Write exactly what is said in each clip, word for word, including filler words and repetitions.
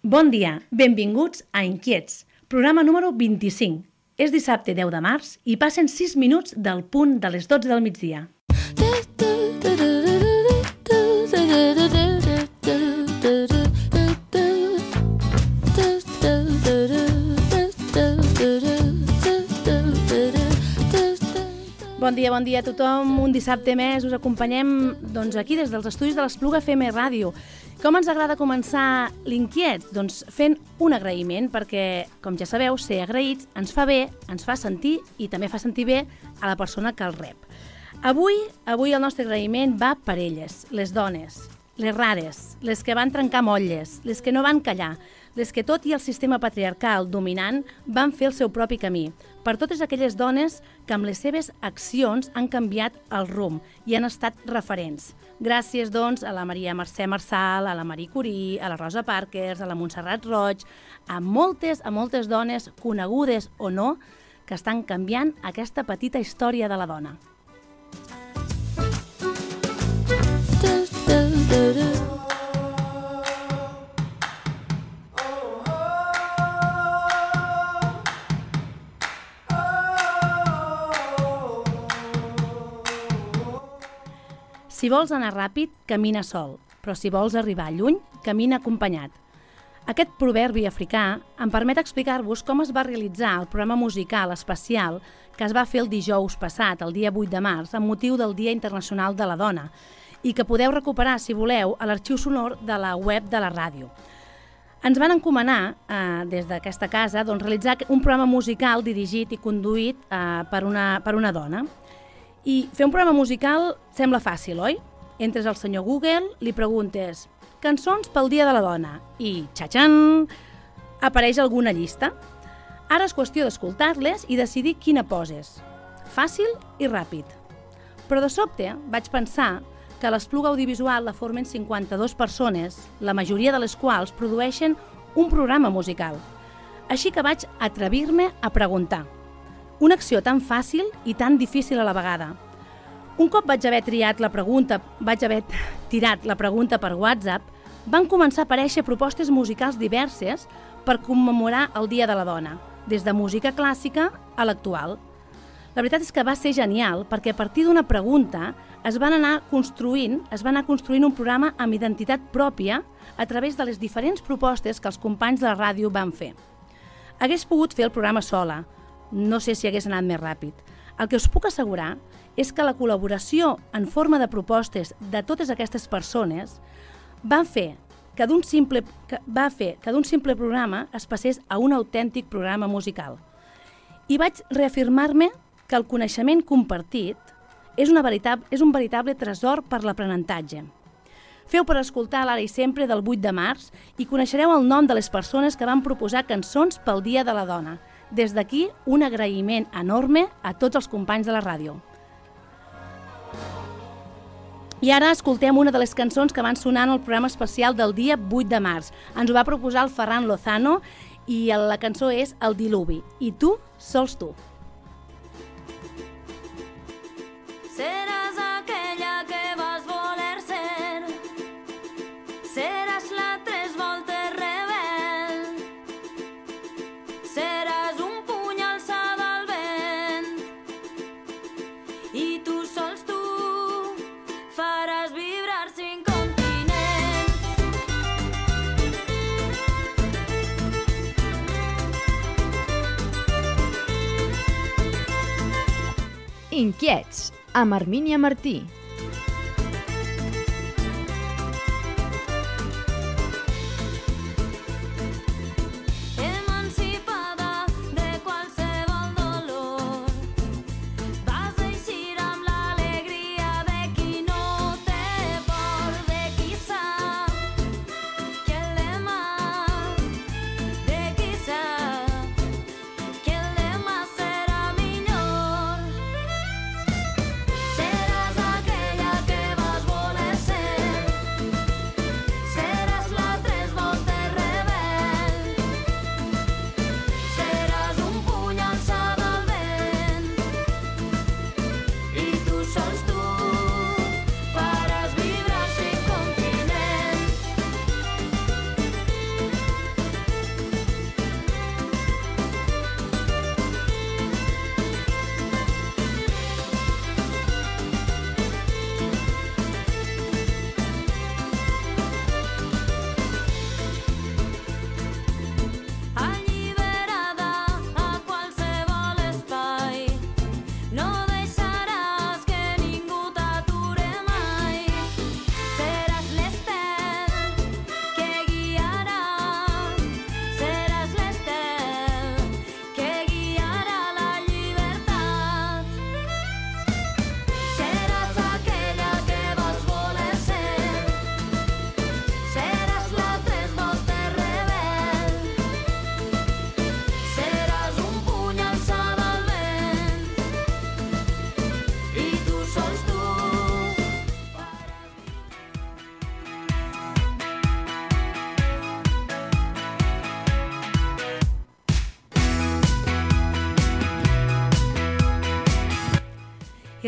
Bon dia, benvinguts a Inquiets, programa número vint-i-cinc. És dissabte deu de març i passen sis minuts del punt de les dotze del migdia. Bon dia, bon dia a tothom. Un dissabte més us acompanyem doncs, aquí des dels estudis de l'Espluga F M Ràdio. Com ens agrada començar l'Inquiets? Doncs fent un agraïment, perquè, com ja sabeu, ser agraïts ens fa bé, ens fa sentir i també fa sentir bé a la persona que el rep. Avui, avui el nostre agraïment va per elles, les dones, les rares, les que van trencar motlles, les que no van callar, les que tot i el sistema patriarcal dominant van fer el seu propi camí, per totes aquelles dones que amb les seves accions han canviat el rumb i han estat referents. Gràcies, doncs, a la Maria Mercè Marçal, a la Marie Curie, a la Rosa Parkers, a la Montserrat Roig, a moltes, a moltes dones, conegudes o no, que estan canviant aquesta petita història de la dona. Si vols anar ràpid, camina sol, però si vols arribar lluny, camina acompanyat. Aquest proverbi africà em permet explicar-vos com es va realitzar el programa musical especial que es va fer el dijous passat, el dia vuit de març, amb motiu del Dia Internacional de la Dona, i que podeu recuperar, si voleu, a l'arxiu sonor de la web de la ràdio. Ens van encomanar, eh, des d'aquesta casa, doncs, realitzar un programa musical dirigit i conduït eh, per, una, per una dona. I fer un programa musical sembla fàcil, oi? Entres al senyor Google, li preguntes cançons pel Dia de la Dona i, txa-txan, apareix alguna llista. Ara és qüestió d'escoltar-les i decidir quina poses. Fàcil i ràpid. Però de sobte vaig pensar que l'Espluga Audiovisual la formen cinquanta-dues persones, la majoria de les quals produeixen un programa musical. Així que vaig atrevir-me a preguntar. Una acció tan fàcil i tan difícil a la vegada. Un cop vaig haver triat la pregunta, vaig haver tirat la pregunta per WhatsApp, van començar a aparèixer propostes musicals diverses per commemorar el Dia de la Dona, des de música clàssica a l'actual. La veritat és que va ser genial perquè a partir d'una pregunta es van anar construint, es va anar construint un programa amb identitat pròpia a través de les diferents propostes que els companys de la ràdio van fer. Hagués pogut fer el programa sola, no sé si hagués anat més ràpid. El que us puc assegurar és que la col·laboració en forma de propostes de totes aquestes persones va fer que d'un simple, que va fer que d'un simple programa es passés a un autèntic programa musical. I vaig reafirmar-me que el coneixement compartit és, una veritable, és un veritable tresor per l'aprenentatge. Feu per escoltar l'Ara i Sempre del vuit de març i coneixereu el nom de les persones que van proposar cançons pel Dia de la Dona. Des d'aquí, un agraïment enorme a tots els companys de la ràdio. I ara escoltem una de les cançons que van sonar en el programa especial del dia vuit de març. Ens ho va proposar el Ferran Lozano i la cançó és El Diluvi. I tu, sols tu. Seràs aquella que vas voler ser, seràs la tres voltes rebel, seràs un puny alçat al vent, i tu sols tu faràs vibrar cinc continents. Inquiets, amb Armínia Martí. Emancipada de qualsevol dolor, vas eixir amb l'alegria de qui no té por, de qui sap que el demà, de qui sap que el demà serà millor. Seràs aquella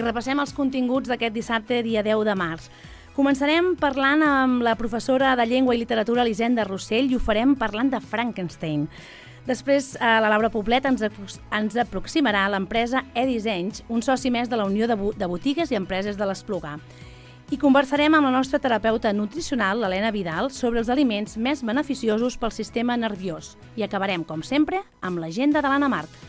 i repassem els continguts d'aquest dissabte, dia deu de març. Començarem parlant amb la professora de Llengua i Literatura Elisenda Rossell i ho farem parlant de Frankenstein. Després, eh, la Laura Poblet ens, ens aproximarà a l'empresa eDissenys, un soci més de la Unió de, de Botigues i Empreses de l'Esplugar. I conversarem amb la nostra terapeuta nutricional, l'Helena Vidal, sobre els aliments més beneficiosos pel sistema nerviós. I acabarem, com sempre, amb l'agenda de l'Anna Marc.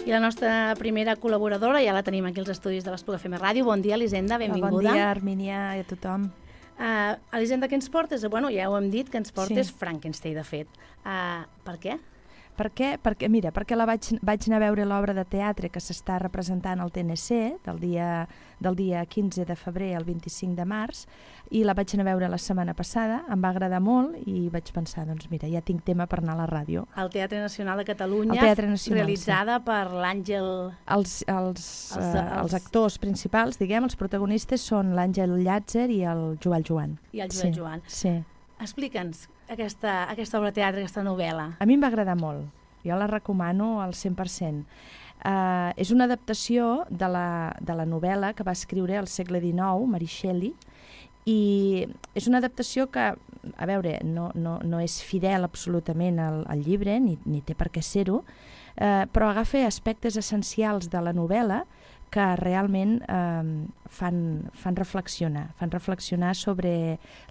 I la nostra primera col·laboradora, ja la tenim aquí als estudis de l'Espluga F M Ràdio. Bon dia, Elisenda, benvinguda. Bon dia, Armínia, i a tothom. Uh, Elisenda, què ens portes? Bueno, ja ho hem dit, que ens portes Sí. Frankenstein, de fet. Uh, per què? Per què? Perquè, mira, perquè la vaig, vaig anar a veure l'obra de teatre que s'està representant al T N C del dia, del dia quinze de febrer al vint-i-cinc de març, i la vaig anar a veure la setmana passada, em va agradar molt i vaig pensar, doncs mira, ja tinc tema per anar a la ràdio. Al Teatre Nacional de Catalunya, Al Teatre Nacional, realitzada sí. per l'Àngel... Els, els, Els- els, uh, els- els actors principals, diguem, els protagonistes són l'Àngel Llàtzer i el Joel Joan. I el Joel sí, Joan. Sí. Explica'ns aquesta, aquesta obra de teatre, aquesta novel·la. A mi em va agradar molt, jo la recomano al cent per cent. Uh, és una adaptació de la, de la novel·la que va escriure al segle dinou, Mary Shelley, i és una adaptació que, a veure, no, no, no és fidel absolutament al, al llibre, ni, ni té per què ser-ho, eh, però agafa aspectes essencials de la novel·la que realment eh, fan, fan reflexionar, fan reflexionar sobre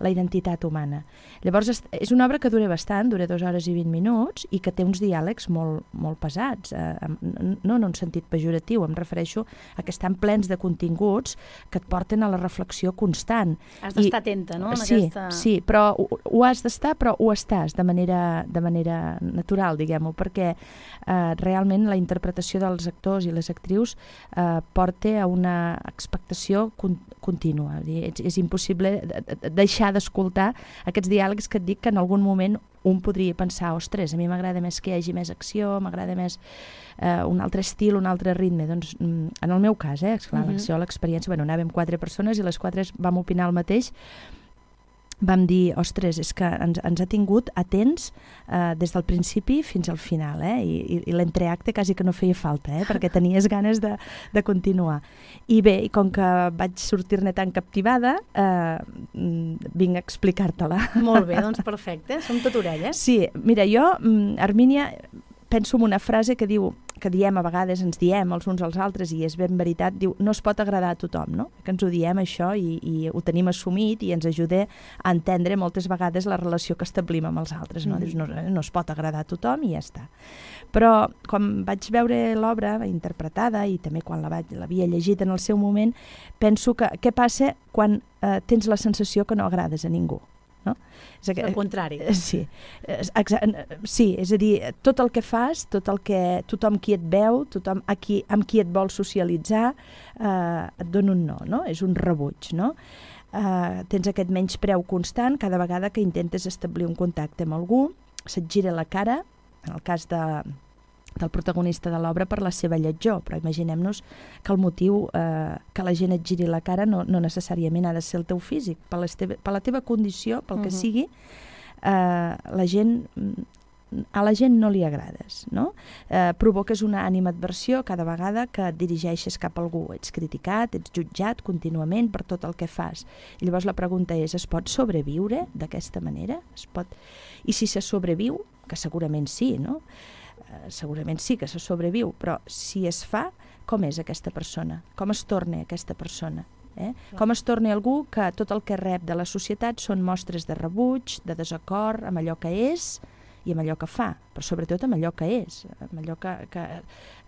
la identitat humana. Llavors, és una obra que dura bastant, dura dues hores i vint minuts, i que té uns diàlegs molt, molt pesats, eh, no en un sentit pejoratiu, em refereixo a que estan plens de continguts que et porten a la reflexió constant. Has d'estar I, atenta, no? En sí, aquesta... sí, però ho, ho has d'estar, però ho estàs de manera, de manera natural, diguem-ho, perquè eh, realment la interpretació dels actors i les actrius eh, porta a una expectació con contínua. És, és impossible deixar d'escoltar aquests diàlegs que et dic que en algun moment un podria pensar, ostres, a mi m'agrada més que hi hagi més acció, m'agrada més eh, un altre estil, un altre ritme. Doncs en el meu cas, eh, esclar, Mhm. l'acció, l'experiència, bueno, anàvem quatre persones i les quatre vam opinar el mateix. Vam dir, ostres, és que ens, ens ha tingut atents eh, des del principi fins al final, eh? I, i, i l'entreacte quasi que no feia falta, eh? Perquè tenies ganes de, de continuar. I bé, i com que vaig sortir-ne tan captivada, eh, vinc a explicar-te-la. Molt bé, doncs perfecte, som tot orelles. Sí, mira, jo, Armínia, penso en una frase que diu, que diem a vegades, ens diem els uns als altres, i és ben veritat, diu, no es pot agradar a tothom, no? Que ens ho diem això i, i ho tenim assumit i ens ajuda a entendre moltes vegades la relació que establim amb els altres, no? Mm. Dius, no, no es pot agradar a tothom i ja està. Però quan vaig veure l'obra interpretada i també quan l'havia llegit en el seu moment, penso que què passa quan eh, tens la sensació que no agrades a ningú? No? És el contrari. Sí, sí, és a dir, tot el que fas, tot el que tothom qui et veu, tothom a qui, amb qui et vol socialitzar, eh, et dona un no, no? És un rebuig, no? Eh, tens aquest menyspreu constant cada vegada que intentes establir un contacte amb algú, se't gira la cara, en el cas de, del protagonista de l'obra per la seva lletjor, però imaginem-nos que el motiu eh, que la gent et giri la cara no, no necessàriament ha de ser el teu físic, per, teve, per la teva condició, pel que uh -huh. sigui, eh, la gent, a la gent no li agrades, no? Eh, provoques una animadversió cada vegada que et dirigeixes cap a algú, ets criticat, ets jutjat contínuament per tot el que fas. I llavors la pregunta és, es pot sobreviure d'aquesta manera? Es pot... I si se sobreviu, que segurament sí, no? Segurament sí que se sobreviu, però si es fa, com és aquesta persona? Com es torna aquesta persona? Eh? Com es torna algú que tot el que rep de la societat són mostres de rebuig, de desacord amb allò que és i amb allò que fa, però sobretot amb allò que és, amb allò que, que,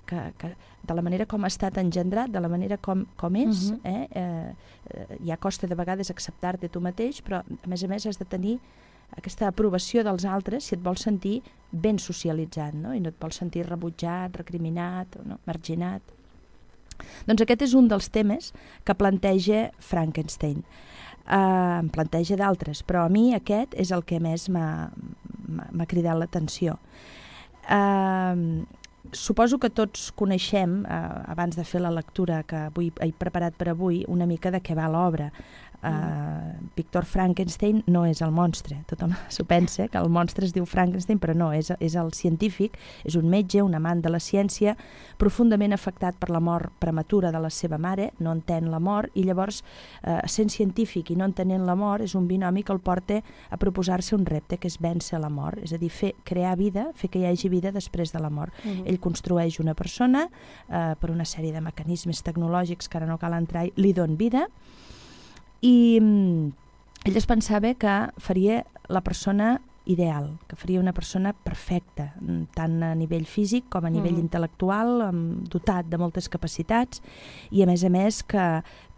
que, que de la manera com ha estat engendrat, de la manera com, com és. Uh-huh. eh? Eh, ja costa de vegades acceptar-te tu mateix, però a més a més has de tenir aquesta aprovació dels altres si et vols sentir ben socialitzat, no? I no et vols sentir rebutjat, recriminat, no? Marginat. Doncs aquest és un dels temes que planteja Frankenstein. Uh, en planteja d'altres, però a mi aquest és el que més m'ha cridat l'atenció. Uh, suposo que tots coneixem, uh, abans de fer la lectura que avui he preparat per avui, una mica de què va l'obra. Uh, Víctor Frankenstein no és el monstre, tothom s'ho pensa, que el monstre es diu Frankenstein, però no, és, és el científic, és un metge, un amant de la ciència, profundament afectat per la mort prematura de la seva mare, no entén la mort, i llavors, uh, sent científic i no entenent la mort, és un binomi que el porta a proposar-se un repte, que és vèncer la mort, és a dir, fer, crear vida, fer que hi hagi vida després de la mort. Uh-huh. Ell construeix una persona, uh, per una sèrie de mecanismes tecnològics que ara no cal entrar, li don vida, i mm, ell es pensava que faria la persona ideal, que faria una persona perfecta, tant a nivell físic com a nivell mm. intel·lectual, amb, dotat de moltes capacitats, i a més a més que,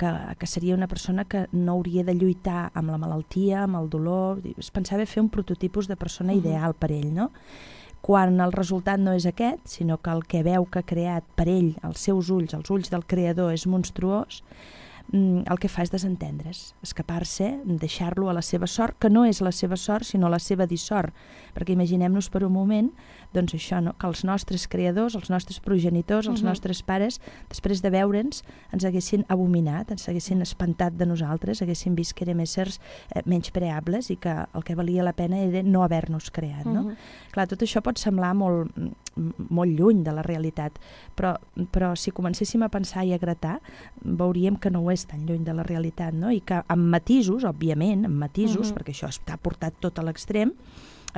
que, que seria una persona que no hauria de lluitar amb la malaltia, amb el dolor. Es pensava fer un prototipus de persona mm. ideal per ell, no? Quan el resultat no és aquest, sinó que el que veu que ha creat per ell, els seus ulls, els ulls del creador, és monstruós, el que fa és desentendre's, escapar-se, deixar-lo a la seva sort, que no és la seva sort, sinó la seva dissort. Perquè imaginem-nos per un moment, doncs això, no? Que els nostres creadors, els nostres progenitors, els uh-huh. nostres pares, després de veure'ns, ens haguessin abominat, ens haguessin espantat de nosaltres, haguessin vist que érem éssers eh, menys preables i que el que valia la pena era no haver-nos creat. No? Uh-huh. Clar, tot això pot semblar molt, molt lluny de la realitat, però, però si comencéssim a pensar i a gratar, veuríem que no ho és tan lluny de la realitat, no? I que amb matisos, òbviament, amb matisos, uh-huh. perquè això està portat tot a l'extrem,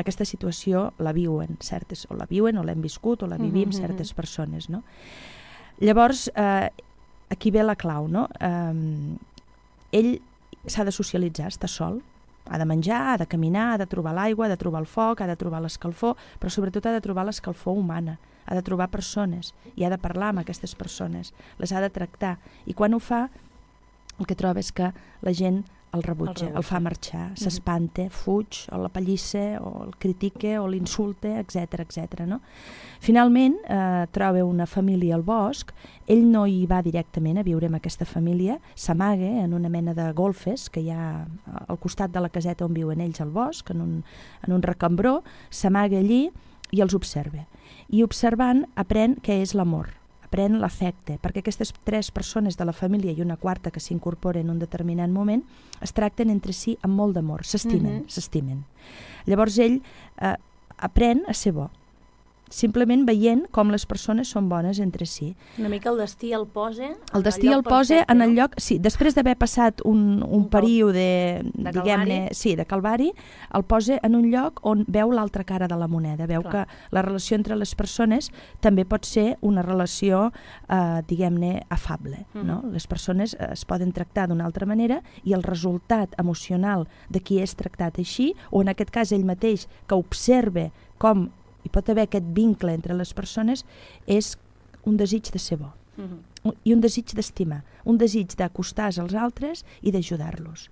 aquesta situació la viuen certes, o la viuen o l'hem viscut o la vivim uh-huh. certes persones, no? Llavors, eh, aquí ve la clau, no? Eh, ell s'ha de socialitzar, està sol, ha de menjar, ha de caminar, ha de trobar l'aigua, ha de trobar el foc, ha de trobar l'escalfor, però sobretot ha de trobar l'escalfor humana, ha de trobar persones i ha de parlar amb aquestes persones, les ha de tractar, i quan ho fa, el que troba és que la gent el rebutja, el, el fa marxar, mm-hmm. s'espanta, fuig, o la pallissa, o el critica, o l'insulta, etcètera, etcètera. No? Finalment, eh, troba una família al bosc, ell no hi va directament a viure amb aquesta família, s'amaga en una mena de golfes que hi ha al costat de la caseta on viuen ells al bosc, en un, en un recambró, s'amaga allí i els observa. I observant aprèn què és l'amor, aprèn l'afecte, perquè aquestes tres persones de la família i una quarta que s'incorpora en un determinat moment es tracten entre si amb molt d'amor, s'estimen, mm-hmm. s'estimen. Llavors ell eh, aprèn a ser bo, simplement veient com les persones són bones entre si. Una mica el destí el posa el destí el posa en el lloc, sí, després d'haver passat un, un, un període de, diguem-ne, sí, de calvari, el posa en un lloc on veu l'altra cara de la moneda, veu Clar. que la relació entre les persones també pot ser una relació, eh, diguem-ne, afable, mm. no? Les persones es poden tractar d'una altra manera i el resultat emocional de qui és tractat així, o en aquest cas ell mateix, que observa com hi pot haver aquest vincle entre les persones, és un desig de ser bo. Uh-huh. I un desig d'estimar, un desig d'acostar-se als altres i d'ajudar-los.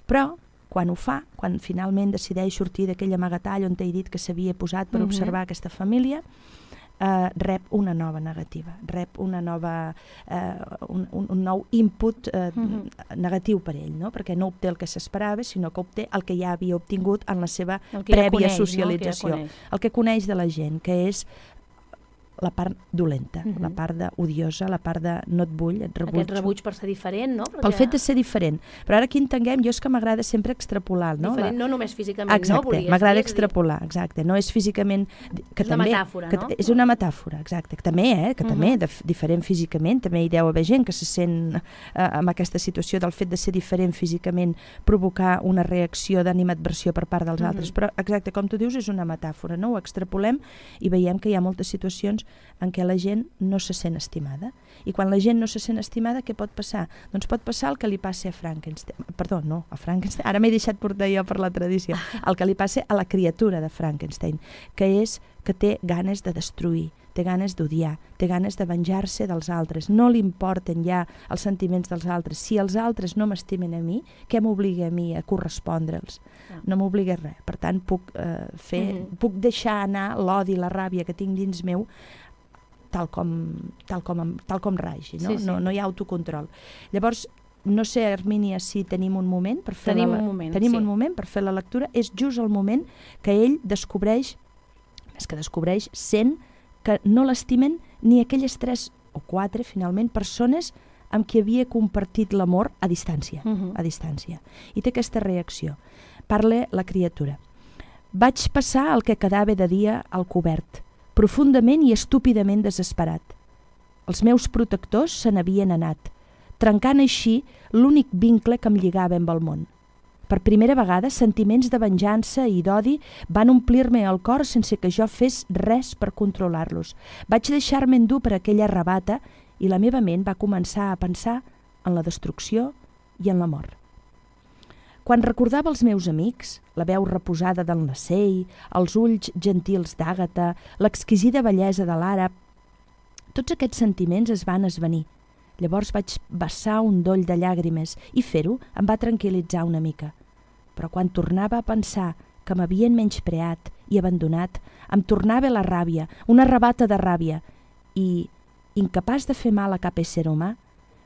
Però, quan ho fa, quan finalment decideix sortir d'aquell amagatall on t'he dit que s'havia posat per uh-huh. observar aquesta família, eh, rep una nova negativa, rep una nova, eh, un, un, un nou input eh, uh-huh. negatiu per ell, no? Perquè no obté el que s'esperava, sinó que obté el que ja havia obtingut en la seva prèvia ja coneix, socialització. No? El, que ja el que coneix de la gent, que és la part dolenta, uh-huh. la part de odiosa, la part de no et vull, et rebuig. Aquest rebuig per ser diferent, no? Perquè... Pel fet de ser diferent. Però ara aquí entenguem, jo és que m'agrada sempre extrapolar. No? Diferent no només físicament, exacte, no? Exacte, m'agrada extrapolar, exacte. No és físicament... Que és també, una metàfora, que no? És una metàfora, exacte. Que també, eh? Que uh-huh. també, de, diferent físicament, també hi deu haver gent que se sent eh, amb aquesta situació del fet de ser diferent físicament provocar una reacció d'animadversió per part dels uh-huh. altres. Però, exacte, com tu dius, és una metàfora, no? Ho extrapolem i veiem que hi ha moltes situacions en què la gent no se sent estimada. I quan la gent no se sent estimada, què pot passar? Doncs pot passar el que li passi a Frankenstein. Perdó, no, a Frankenstein. Ara m'he deixat portar jo per la tradició. El que li passi a la criatura de Frankenstein, que és que té ganes de destruir, té ganes d'odiar, té ganes de venjar-se dels altres. No li importen ja els sentiments dels altres. Si els altres no m'estimen a mi, què m'obliga a mi a correspondre'ls? No m'obliga res. Per tant, puc, eh, fer, mm-hmm. puc deixar anar l'odi i la ràbia que tinc dins meu tal com, tal com, tal com ragi, no? Sí, sí. No, no hi ha autocontrol. Llavors, no sé, Hermínia, si tenim un moment per fer Tenim la, un moment, tenim sí. un moment per fer la lectura. És just el moment que ell descobreix, més que descobreix, sent que no l'estimen ni aquelles tres o quatre, finalment, persones amb qui havia compartit l'amor a distància, Mhm. a distància. I té aquesta reacció. Parla la criatura. Vaig passar el que quedava de dia al cobert, profundament i estúpidament desesperat. Els meus protectors se n'havien anat, trencant així l'únic vincle que em lligava amb el món. Per primera vegada, sentiments de venjança i d'odi van omplir-me el cor sense que jo fes res per controlar-los. Vaig deixar-me endur per aquella rabata i la meva ment va començar a pensar en la destrucció i en la mort. Quan recordava els meus amics, la veu reposada d'en Lasell, els ulls gentils d'Àgata, l'exquisida bellesa de l'àrab, tots aquests sentiments es van esvenir. Llavors vaig vessar un doll de llàgrimes i fer-ho em va tranquil·litzar una mica. Però quan tornava a pensar que m'havien menyspreat i abandonat, em tornava la ràbia, una rabata de ràbia, i, incapaç de fer mal a cap ésser humà,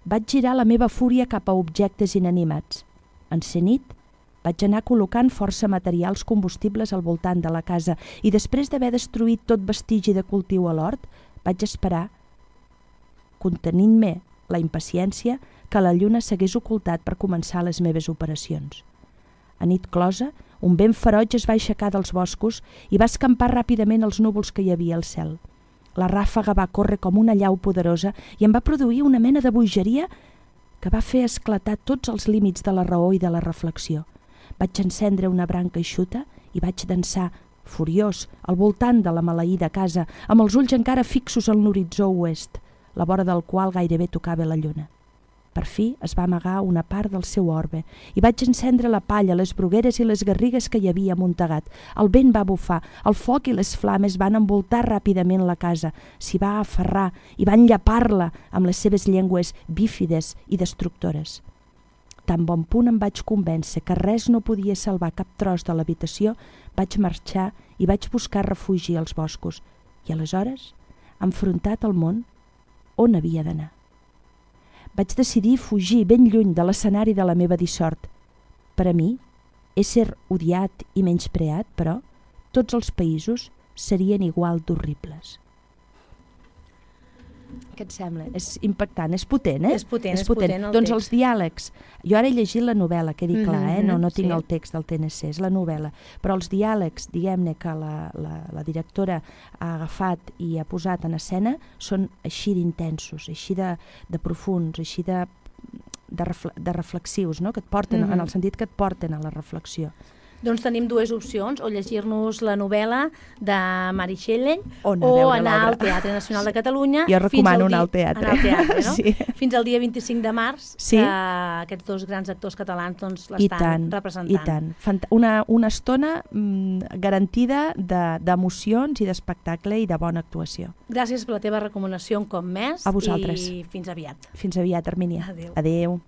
vaig girar la meva fúria cap a objectes inanimats. En ser nit, vaig anar col·locant força materials combustibles al voltant de la casa i després d'haver destruït tot vestigi de cultiu a l'hort, vaig esperar, contenint-me la impaciència, que la lluna s'hagués ocultat per començar les meves operacions. A nit closa, un vent feroig es va aixecar dels boscos i va escampar ràpidament els núvols que hi havia al cel. La ràfaga va córrer com una llau poderosa i em va produir una mena de bogeria que va fer esclatar tots els límits de la raó i de la reflexió. Vaig encendre una branca eixuta i vaig dansar, furiós, al voltant de la maleïda casa, amb els ulls encara fixos en l'horitzó oest, la vora del qual gairebé tocava la lluna. Per fi es va amagar una part del seu orbe i vaig encendre la palla, les brugueres i les garrigues que hi havia amuntegat. El vent va bufar, el foc i les flames van envoltar ràpidament la casa, s'hi va aferrar i van llapar-la amb les seves llengües bífides i destructores. Tan bon punt em vaig convèncer que res no podia salvar cap tros de l'habitació, vaig marxar i vaig buscar refugi als boscos i aleshores, enfrontat al món, on havia d'anar? Vaig decidir fugir ben lluny de l'escenari de la meva dissort. Per a mi, ésser odiat i menyspreat, però, tots els països serien igual d'horribles. Què et sembla? És impactant, és potent, eh? És potent, és potent el Doncs text. els diàlegs, jo ara he llegit la novel·la, quedi clar, eh? No, no tinc sí. el text del T N C, és la novel·la, però els diàlegs, diguem-ne, que la, la, la directora ha agafat i ha posat en escena són així d'intensos, així de, de profunds, així de, de, refle de reflexius, no? Que et porten, Mhm. en el sentit que et porten a la reflexió. Doncs tenim dues opcions, o llegir-nos la novel·la de Mari Shelley O anar a o veure anar al l'obra. Teatre Nacional de Catalunya. Jo fins recomano al anar di- al teatre. Anar al teatre, no? Sí. Fins al dia vint-i-cinc de març, Sí. que aquests dos grans actors catalans doncs, I l'estan tant, representant. i tant. Fant una, una estona mm, garantida d'emocions de, i d'espectacle i de bona actuació. Gràcies per la teva recomanació un cop més. A vosaltres. I fins aviat. Fins aviat, Hermínia. Adéu. Adéu.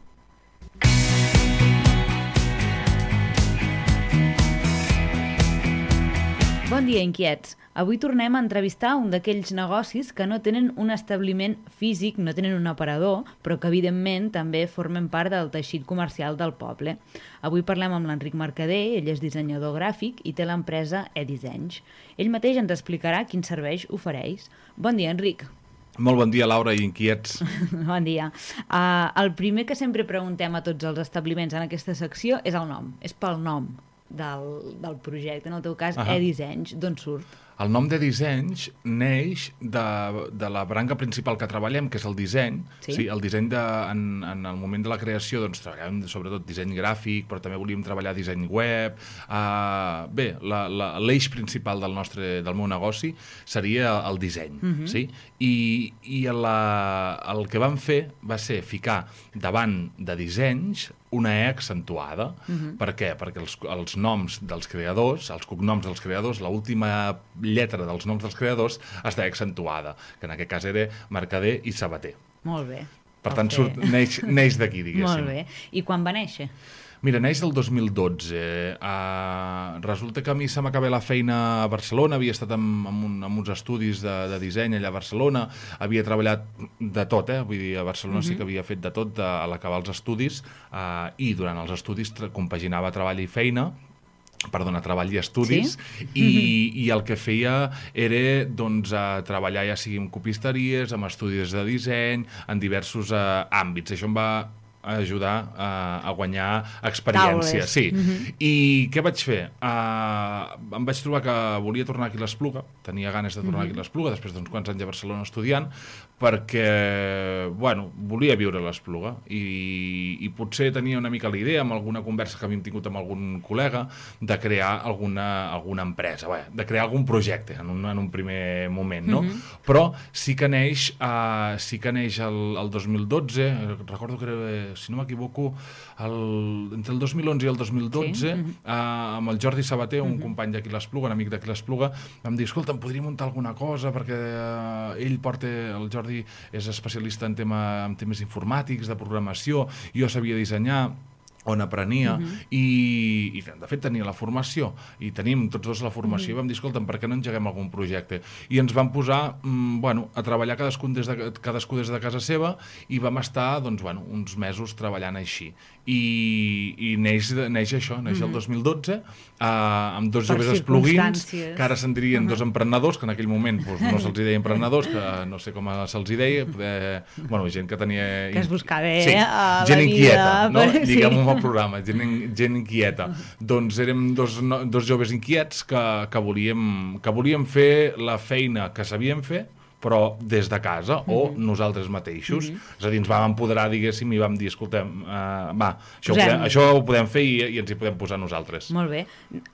Bon dia, inquiets. Avui tornem a entrevistar un d'aquells negocis que no tenen un establiment físic, no tenen un aparador, però que evidentment també formen part del teixit comercial del poble. Avui parlem amb l'Enric Mercader, ell és dissenyador gràfic i té l'empresa eDissenys. Ell mateix ens explicarà quins serveis ofereix. Bon dia, Enric. Molt bon dia, Laura i inquiets. Bon dia. Uh, el primer que sempre preguntem a tots els establiments en aquesta secció és el nom, és pel nom del, del projecte, en el teu cas, Ahà. eDissenys. D'on surt? El nom de dissenys neix de, de la branca principal que treballem, que és el disseny. Sí. Sí, el disseny, de, en, en el moment de la creació, doncs, treballàvem sobretot disseny gràfic, però també volíem treballar disseny web. Uh, bé, l'eix principal del nostre del meu negoci seria el disseny. Mhm. Sí? I, i la, el que vam fer va ser ficar davant de dissenys una E accentuada. Mhm. Per què? Perquè els, els noms dels creadors, els cognoms dels creadors, l'última lletra dels noms dels creadors està accentuada, que en aquest cas era Mercader i Sabater. Molt bé. Per tant, Ok. surt, neix, neix d'aquí, diguéssim. Molt bé. I quan va néixer? Mira, neix el dos mil dotze. Uh, resulta que a mi se m'acaba la feina a Barcelona, havia estat en, en, un, en uns estudis de, de disseny allà a Barcelona, havia treballat de tot, eh? Vull dir, a Barcelona uh-huh. sí que havia fet de tot de, a l'acabar els estudis, uh, i durant els estudis compaginava treball i feina, perdona, treball i estudis, sí? i, i el que feia era doncs, a treballar ja sigui en copisteries, amb estudis de disseny, en diversos uh, àmbits. Això em va ajudar a, a guanyar experiència. Taules. Sí. Mhm. I què vaig fer? Uh, em vaig trobar que volia tornar aquí a l'Espluga, tenia ganes de tornar Mhm. aquí a l'Espluga, després d'uns quants anys a Barcelona estudiant, perquè, bueno, volia viure a l'Espluga i, i potser tenia una mica la idea, amb alguna conversa que havíem tingut amb algun col·lega, de crear alguna, alguna empresa, bé, de crear algun projecte en un, en un primer moment, no? Mhm. Però sí que neix, uh, sí que neix el, el dos mil dotze, recordo que era, si no m'equivoco, el, entre el dos mil onze i el dos mil dotze, Sí. uh, amb el Jordi Sabater, un Mhm. company d'aquí l'Espluga, un amic d'aquí l'Espluga, vam dir, escolta, em podria muntar alguna cosa, perquè uh, ell porta, el Jordi és especialista en, tema, en temes informàtics, de programació, jo sabia dissenyar, on aprenia, Mhm. i, i de fet tenia la formació, i tenim tots dos la formació, Mhm. i vam dir, escolta'm, per què no engeguem algun projecte? I ens vam posar, mm, bueno, a treballar cadascú des, de, cadascú des de casa seva, i vam estar, doncs, bueno, uns mesos treballant així. I, i neix, neix això, neix el Mhm. dos mil dotze, eh, amb dos Per joves espluguins, circumstàncies. que ara se'n dirien Mhm. dos emprenedors, que en aquell moment doncs, no se'ls deia emprenedors, que no sé com se'ls deia, poder, bueno, gent que tenia... Que es buscava sí, a la gent vida, inquieta, no? per- sí. Diguem-ho al programa, gent, in- gent inquieta. Doncs érem dos, no, dos joves inquiets que, que, volíem, que volíem fer la feina que sabíem fer, però des de casa, o nosaltres mateixos. És a dir, ens vam empoderar, diguéssim, i vam dir, escoltem, uh, va, això ho, Posem. podem, això ho podem fer i, i ens hi podem posar nosaltres. Molt bé.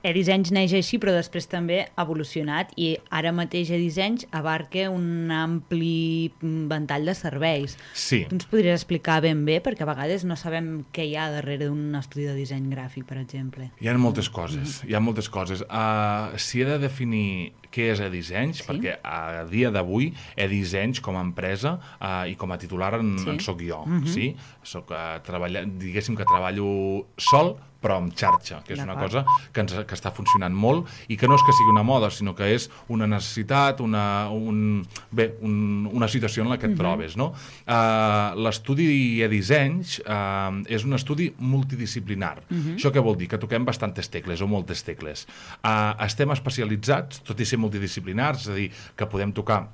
E-Dissenys neix així, però després també ha evolucionat i ara mateix E-Dissenys abarca un ampli ventall de serveis. Sí. Tu ens podries explicar ben bé, perquè a vegades no sabem què hi ha darrere d'un estudi de disseny gràfic, per exemple. Hi ha moltes coses, hi ha moltes coses. Uh, si he de definir què és E-Dissenys, Sí. perquè a dia d'avui E-Dissenys com a empresa uh, i com a titular en, Sí. en soc jo. Mhm. Sí? Soc, uh, treballa, diguéssim que treballo sol, però amb xarxa, que és una D'acord. cosa que, ens, que està funcionant molt i que no és que sigui una moda, sinó que és una necessitat, una, un, bé, un, una situació en la que et trobes. No? Uh, L'estudi E-Dissenys uh, és un estudi multidisciplinar. Això què vol dir? Que toquem bastantes tecles o moltes tecles. Uh, estem especialitzats, tot i ser multidisciplinars, és a dir, que podem tocar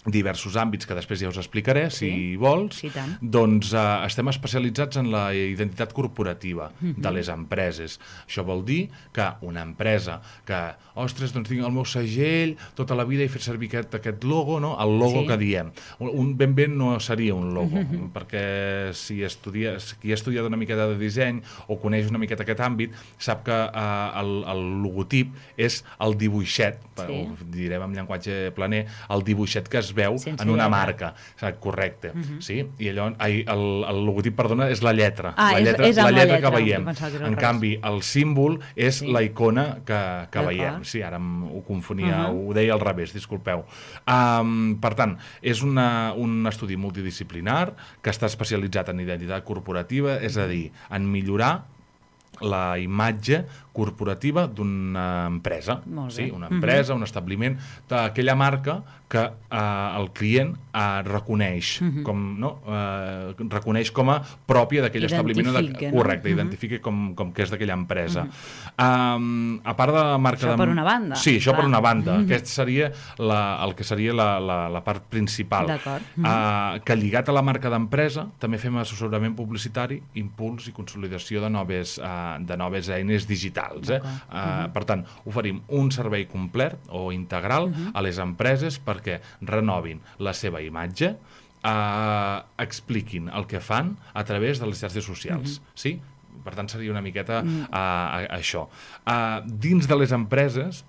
diversos àmbits que després ja us explicaré, si Sí. vols. Sí, tant. Doncs eh, estem especialitzats en la identitat corporativa de les empreses. Això vol dir que una empresa que, ostres, doncs tinc el meu segell tota la vida i fer servir aquest, aquest logo, no? El logo Sí. que diem. Un, un ben bé no seria un logo, perquè si estudia, si qui ha estudiat una miqueta de disseny o coneix una miqueta aquest àmbit, sap que eh, el, el logotip és el dibuixet, Sí. o direm en llenguatge planer, el dibuixet que es veu Sense en una lletra. marca. Saps? Correcte. Sí? I allò, ai, el, el logotip, perdona, és la lletra. Ah, la és- lletra, és amb la la lletra lletra, que veiem. em pensava que era al En revés. canvi, el símbol és Sí. la icona que, que D'acord. veiem. Sí, ara em, ho confonia, Uh-huh. ho deia al revés, disculpeu. Um, per tant, és una, un estudi multidisciplinar que està especialitzat en identitat corporativa, és a dir, en millorar la imatge corporativa d'una empresa. Molt bé. Sí, una empresa, un establiment, d'aquella marca que eh, el client eh, reconeix, com, no? eh, reconeix com a pròpia d'aquell establiment. o de- Identifica, no? Correcte, Mhm. identifica com, com que és d'aquella empresa. Um, a part de la marca... Això de... per una banda, Sí, això per clar. una banda. Aquest seria la, el que seria la, la, la part principal. D'acord. Uh, que lligat a la marca d'empresa també fem assessorament publicitari, impuls i consolidació de noves, uh, de noves eines digitals. Eh? Uh, per tant, oferim un servei complet o integral a les empreses perquè renovin la seva imatge, uh, expliquin el que fan a través de les xarxes socials. Sí? Per tant, seria una miqueta uh, a, a això. Uh, dins de les empreses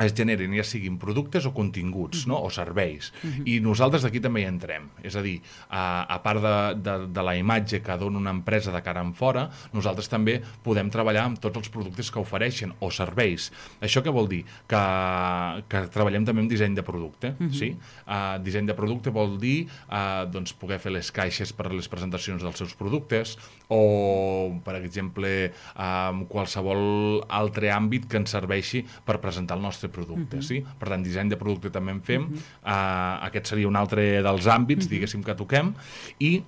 es generen ja siguin productes o continguts, no? O serveis. I nosaltres aquí també hi entrem. És a dir, a, a part de, de, de la imatge que dona una empresa de cara en fora, nosaltres també podem treballar amb tots els productes que ofereixen o serveis. Això què vol dir? Que, que treballem també amb disseny de producte. Uh -huh. Sí? Uh, disseny de producte vol dir uh, doncs, poder fer les caixes per a les presentacions dels seus productes o, per exemple, uh, qualsevol altre àmbit que ens serveixi per presentar el nostre producte. Uh-huh. Sí? Per tant, disseny de producte també en fem. Uh-huh. uh, aquest seria un altre dels àmbits, uh-huh. diguéssim, que toquem. I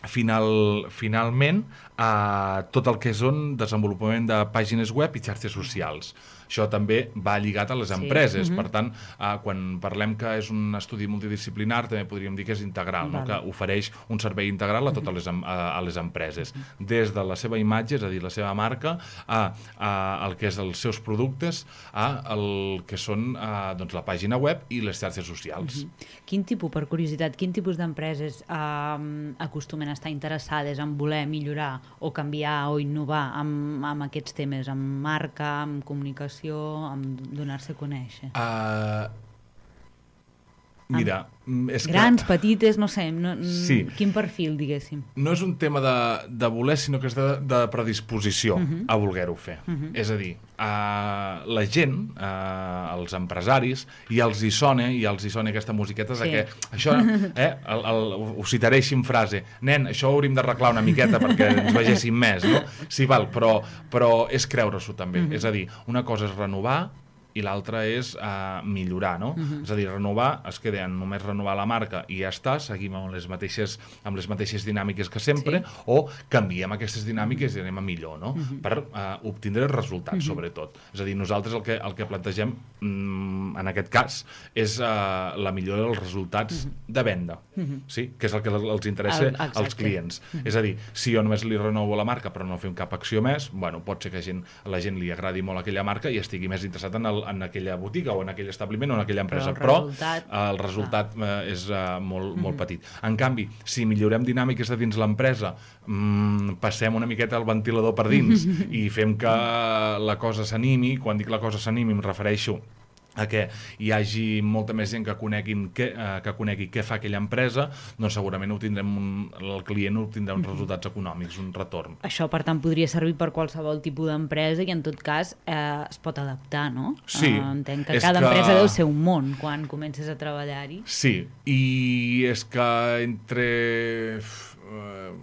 final, finalment, uh, tot el que són desenvolupament de pàgines web i xarxes socials. Això també va lligat a les empreses. Sí. Uh-huh. Per tant, uh, quan parlem que és un estudi multidisciplinar, també podríem dir que és integral, vale. No? Que ofereix un servei integral a totes les, a, a les empreses. Uh-huh. Des de la seva imatge, és a dir, la seva marca, a, a el que és els seus productes, a el que són a, doncs, la pàgina web i les xarxes socials. Uh-huh. Quin tipus, per curiositat, quin tipus d'empreses uh, acostumen a estar interessades en voler millorar o canviar o innovar amb, amb aquests temes, amb marca, amb comunicació, amb donar-se a conèixer? Uh, mira, amb és grans, que... petites, no sé, no, sí. Quin perfil, diguéssim? No és un tema de, de voler, sinó que és de, de predisposició uh-huh. a voler-ho fer. Uh-huh. És a dir, uh, la gent, uh, els empresaris, i els hi sona, i els hi sona aquesta musiqueta sí. de que això, eh, el, el, ho citaré així en frase, nen, això ho hauríem d'arreglar una miqueta perquè ens vegéssim més, no? Sí, val, però, però és creure-s'ho també. Uh-huh. És a dir, una cosa és renovar i l'altra és uh, millorar, no? Uh-huh. És a dir, renovar, es queda en només renovar la marca i ja està, seguim amb les mateixes, amb les mateixes dinàmiques que sempre, sí. o canviem aquestes dinàmiques uh-huh. i anem a millor, no? Uh-huh. Per uh, obtindre resultats, uh-huh. sobretot. És a dir, nosaltres el que, el que plantegem, mm, en aquest cas, és uh, la millora dels resultats uh-huh. de venda, uh-huh. sí? Que és el que els interessa el, als clients. Uh-huh. És a dir, si jo només li renovo la marca però no fem cap acció més, bueno, pot ser que a gent, a la gent li agradi molt aquella marca i estigui més interessat en el en aquella botiga o en aquell establiment o en aquella empresa, però el resultat, però, el resultat eh, és uh, molt, mm-hmm. molt petit. En canvi, si millorem dinàmiques de dins l'empresa, mmm, passem una miqueta el ventilador per dins mm-hmm. i fem que la cosa s'animi, quan dic la cosa s'animi em refereixo a que hi hagi molta més gent que, coneguin que, eh, que conegui què fa aquella empresa, doncs segurament obtindrem un, el client obtindrà uns resultats econòmics, un retorn. Això, per tant, podria servir per qualsevol tipus d'empresa i, en tot cas, eh, es pot adaptar, no? Sí. Eh, entenc que cada que... empresa deu ser un món quan comences a treballar-hi. Sí, i és que entre... Uh,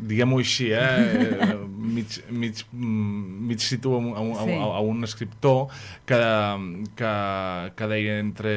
diguem-ho així, eh? mig, mig, mig situa a, a, sí. a, a un escriptor que, que, que deia entre...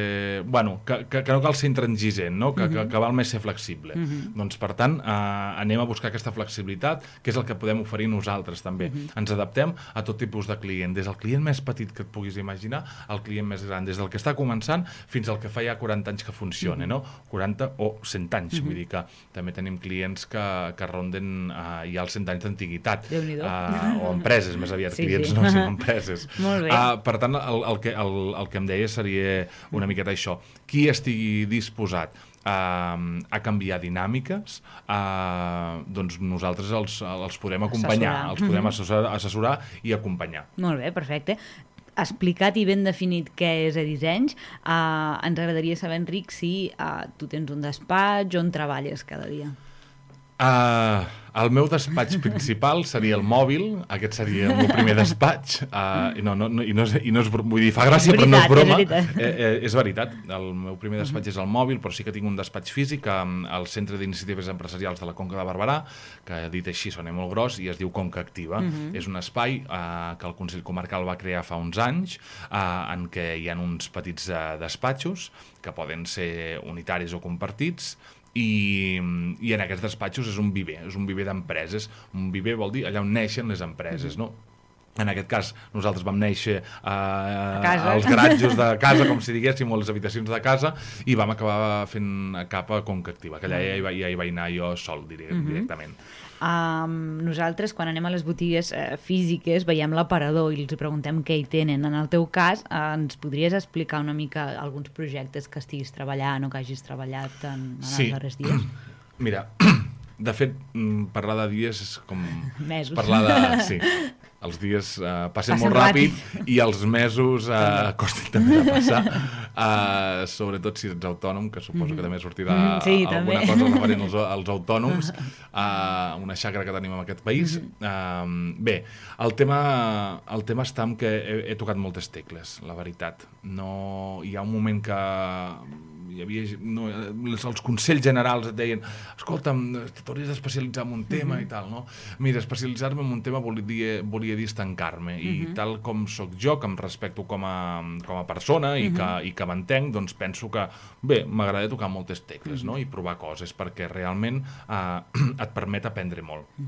Bueno, que, que, que no cal ser intransigent, no? Que, uh-huh. que, que val més ser flexible. Uh-huh. Doncs, per tant, eh, anem a buscar aquesta flexibilitat, que és el que podem oferir nosaltres, també. Uh-huh. Ens adaptem a tot tipus de client, des del client més petit que et puguis imaginar al client més gran, des del que està començant fins al que fa ja quaranta anys que funciona, uh-huh. no? quaranta o cent anys, uh-huh. vull dir que també tenim clients que que ronden uh, ja els cent anys d'antiguitat uh, o empreses, més aviat, sí, clients sí. no, sinó empreses. Molt bé. Uh, per tant, el, el, que, el, el que em deia seria una miqueta això. Qui estigui disposat uh, a canviar dinàmiques, uh, doncs nosaltres els, els podem acompanyar, assessorar. els podem assessorar, assessorar i acompanyar. Molt bé, perfecte. Explicat i ben definit què és a Dissenys, uh, ens agradaria saber, Enric, si uh, tu tens un despatx, on treballes cada dia. Uh, el meu despatx principal seria el mòbil, aquest seria el meu primer despatx, uh, i, no, no, no, i, no és, i no és, vull dir, fa gràcia, veritat, però no és broma, és veritat. Eh, eh, és veritat, el meu primer despatx uh-huh. és el mòbil, però sí que tinc un despatx físic al Centre d'Iniciatives Empresarials de la Conca de Barberà, que dit així sona molt gros, i es diu Conca Activa. Uh-huh. És un espai uh, que el Consell Comarcal va crear fa uns anys, uh, en què hi ha uns petits uh, despatxos, que poden ser unitaris o compartits, I, i en aquests despatxos és un viver, és un viver d'empreses. Un viver vol dir allà on neixen les empreses, no? En aquest cas, nosaltres vam néixer eh, als garatjos de casa, com si diguéssim, o les habitacions de casa, i vam acabar fent cap a Conca Activa, que allà ja hi, va, ja hi vaig anar jo sol, diré, uh-huh. directament. Um, nosaltres, quan anem a les botigues eh, físiques, veiem l'aparador i els preguntem què hi tenen. En el teu cas, eh, ens podries explicar una mica alguns projectes que estiguis treballant o que hagis treballat en, en sí. els darrers dies? Mira, de fet, parlar de dies és com... Mesos. Parlar de... Sí. els dies uh, passen, Passen molt ràpid, ràpid i els mesos uh, costin també de passar, uh, sobretot si ets autònom, que suposo que també sortirà Mm, sí, alguna també. cosa referent als, als autònoms, uh, una xacra que tenim en aquest país. Uh, bé, el tema, el tema està en que he, he tocat moltes tecles, la veritat. No, hi ha un moment que hi havia, no, els, els consells generals et deien, escolta'm, t'hauries d'especialitzar en un tema i tal, no? Mira, especialitzar-me en un tema volia, volia dir estancar-me, i tal com sóc jo, que em respecto com a, com a persona i que, i que m'entenc, doncs penso que, bé, m'agrada tocar moltes tecles, no? I provar coses, perquè realment eh, et permet aprendre molt.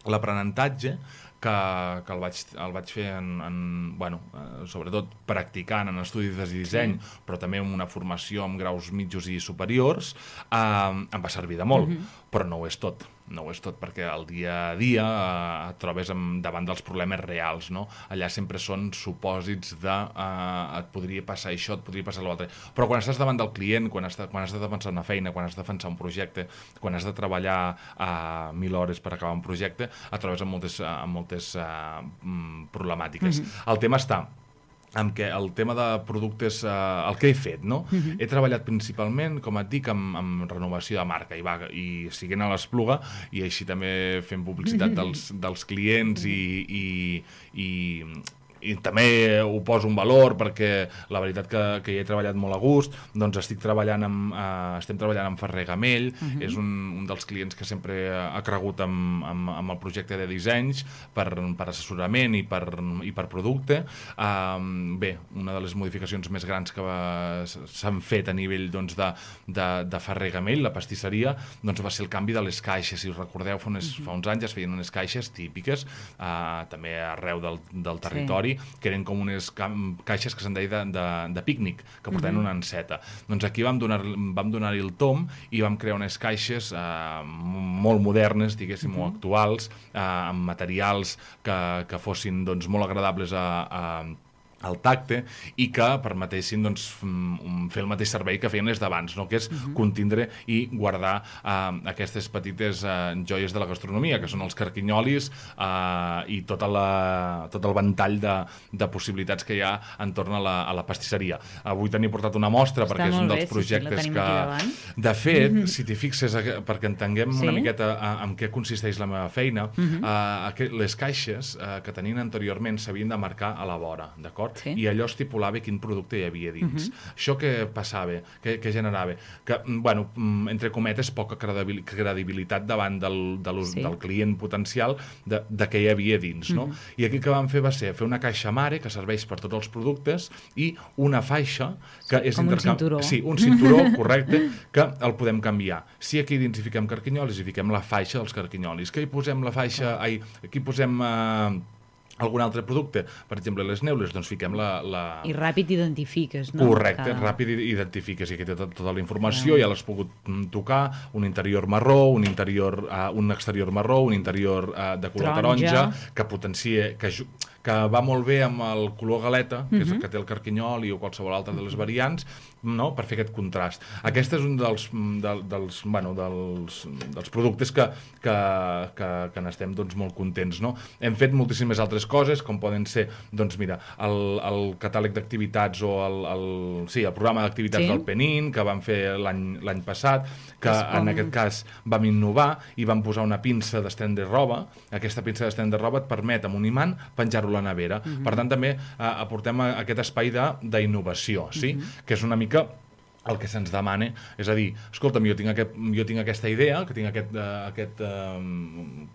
L'aprenentatge, que, que el, vaig, el vaig fer en, en, bueno, eh, sobretot practicant en estudis de disseny, sí. però també amb una formació amb graus mitjos i superiors, eh, em va servir de molt, mm-hmm. però no ho és tot. No ho és tot, perquè al dia a dia eh, et trobes amb, davant dels problemes reals, no? Allà sempre són supòsits de eh, et podria passar això, et podria passar l'altre. Però quan estàs davant del client, quan has, de, quan has de defensar una feina, quan has de defensar un projecte, quan has de treballar eh, mil hores per acabar un projecte, et trobes amb moltes, amb moltes eh, problemàtiques. Mm-hmm. El tema està amb què el tema de productes, eh, el que he fet, no? Uh-huh. He treballat principalment, com et dic, amb, amb renovació de marca i, va, i siguent a l'Espluga i així també fent publicitat dels, dels clients i, i, i, i també ho poso en valor perquè la veritat que, que hi he treballat molt a gust, doncs estic treballant amb, eh, estem treballant amb Ferrer Gamell, uh-huh. és un, un dels clients que sempre ha cregut amb, amb, amb el projecte de dissenys per, per assessorament i per, i per producte. Um, bé, una de les modificacions més grans que s'han fet a nivell doncs, de, de, de Ferrer Gamell, la pastisseria, doncs va ser el canvi de les caixes. Si us recordeu, fa, unes, uh-huh. fa uns anys es feien unes caixes típiques, uh, també arreu del, del territori, sí. que eren com unes caixes que se'n deia de, de, de pícnic, que portaven uh-huh. una enceta. Doncs aquí vam donar, vam donar-hi el tom i vam crear unes caixes eh, molt modernes, diguéssim, uh-huh. o actuals, eh, amb materials que, que fossin doncs, molt agradables a, a al tacte i que permetessin doncs, fer el mateix servei que feien les d'abans, no? Que és uh-huh. contindre i guardar uh, aquestes petites uh, joies de la gastronomia, que són els carquinyolis uh, i tota la, tot el ventall de, de possibilitats que hi ha entorn a la, a la pastisseria. Avui t'he portat una mostra Està perquè és un dels bé, projectes sí, sí, que... De fet, uh-huh. si t'hi fixes, perquè entenguem sí? una miqueta uh, en què consisteix la meva feina, uh-huh. uh, les caixes uh, que tenien anteriorment s'havien de marcar a la vora, d'acord? Sí. I allò estipulava quin producte hi havia dins. Uh-huh. Això què passava? Què, què generava? Que, bueno, entre cometes, poca credibilitat davant del, de sí. del client potencial de, de què hi havia dins, no? Uh-huh. I aquí que vam fer va ser fer una caixa mare que serveix per tots els productes i una faixa que sí, és com intercam... un cinturó. Sí, un cinturó, correcte, que el podem canviar. Si aquí dins hi fiquem carquinyolis, hi fiquem la faixa dels carquinyolis. Que hi posem la faixa... Ai, aquí posem... Eh... algun altre producte, per exemple les neules, doncs fiquem la... la... I ràpid identifiques, no? Correcte, Cada... ràpid identifiques, i aquí té tota, tota la informació, ja, ja l'has pogut tocar, un interior marró, un interior, uh, un exterior marró, un interior uh, de color taronja, taronja que potencia, que, que va molt bé amb el color galeta, que uh-huh. és el que té el carquinyol i o qualsevol altra de les variants, no? Per fer aquest contrast. Aquest és un dels, de, dels, bueno, dels, dels productes que, que, que, que n'estem doncs, molt contents, no? Hem fet moltíssimes altres coses, com poden ser, doncs mira, el, el catàleg d'activitats o el, el, sí, el programa d'activitats sí. del Penin, que vam fer l'any passat, que com... en aquest cas vam innovar i vam posar una pinça d'estendre roba. Aquesta pinça d'estendre roba et permet, amb un imant, penjar-ho a la nevera. Uh-huh. Per tant, també eh, aportem a aquest espai d'innovació, sí? Uh-huh. Que és una mica el que se'ns demana, és a dir, escolta'm, jo tinc, aquest, jo tinc aquesta idea, que tinc aquest, uh, aquest uh,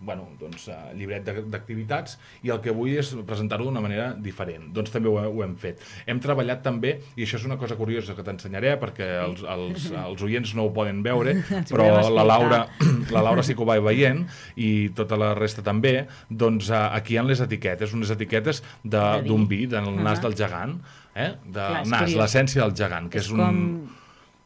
bueno, doncs, uh, llibret d'activitats i el que vull és presentar-ho d'una manera diferent. Doncs també ho, ho hem fet. Hem treballat també, i això és una cosa curiosa que t'ensenyaré, perquè els, els, els oients no ho poden veure, però la Laura, la Laura sí que ho va veient, i tota la resta també, doncs uh, aquí hi ha les etiquetes, unes etiquetes d'un vi, del uh-huh. nas del gegant, eh? de Clar, nas, l'essència del gegant, que és, és un... Com...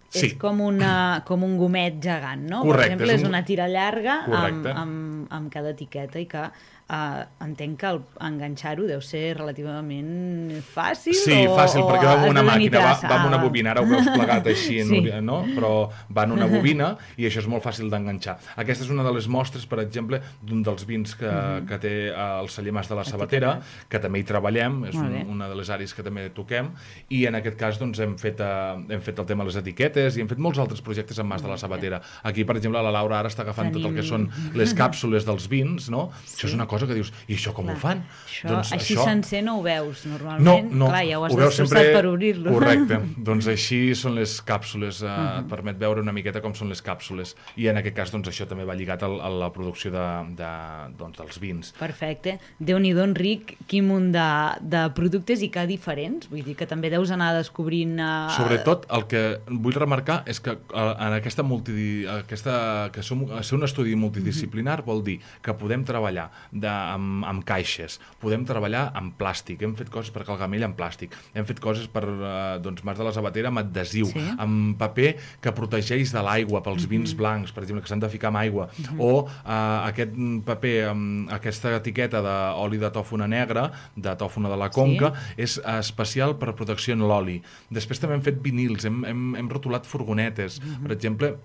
Sí. És com, una, com un gomet gegant, no? Correcte, per exemple, és, un... és una tira llarga amb, amb, amb cada etiqueta i que uh, entenc que el, enganxar-ho deu ser relativament fàcil. Sí, o, fàcil, o perquè va amb una has de màquina, va, tenir va amb una traça? bobina, ara ho veus plegat així, Sí. sí. no? Però va en una bobina i això és molt fàcil d'enganxar. Aquesta és una de les mostres, per exemple, d'un dels vins que, uh -huh. que té el celler Mas de la Sabatera, que també hi treballem, és un, una de les àrees que també toquem, i en aquest cas doncs, hem, fet, uh, hem fet el tema de les etiquetes i hem fet molts altres projectes amb Mas de la Sabatera. Aquí, per exemple, la Laura ara està agafant Tenim... tot el que són les càpsules dels vins, no? Sí. Això és una cosa que dius, i això com Clar. ho fan? Això, doncs, així això... sencer no ho veus, normalment. No, no, Clar, ja ho has ho veus destrossat sempre... per obrir-lo. Correcte. Doncs així són les càpsules, eh, uh -huh. Mhm. et permet veure una miqueta com són les càpsules. I en aquest cas, doncs, això també va lligat a, a la producció de, de, doncs, dels vins. Perfecte. Déu-n'hi-do, Enric, quin munt de, de productes i que diferents. Vull dir que també deus anar descobrint... Uh... Sobretot, el que vull remarcar és que uh, en aquesta, multi, aquesta que som, ser un estudi multidisciplinar uh -huh. vol dir que podem treballar de, amb, amb caixes, podem treballar amb plàstic, hem fet coses per Calgamell amb plàstic, hem fet coses per uh, doncs, Mas de la Sabatera amb adhesiu, sí. amb paper que protegeix de l'aigua pels uh-huh. vins blancs, per exemple, que s'han de ficar amb aigua, uh-huh. o uh, aquest paper amb aquesta etiqueta d'oli de tòfona negra, de tòfona de la Conca, sí. és uh, especial per protecció en l'oli. Després també hem fet vinils, hem, hem, hem rotulat furgonetes, uh-huh. per exemple,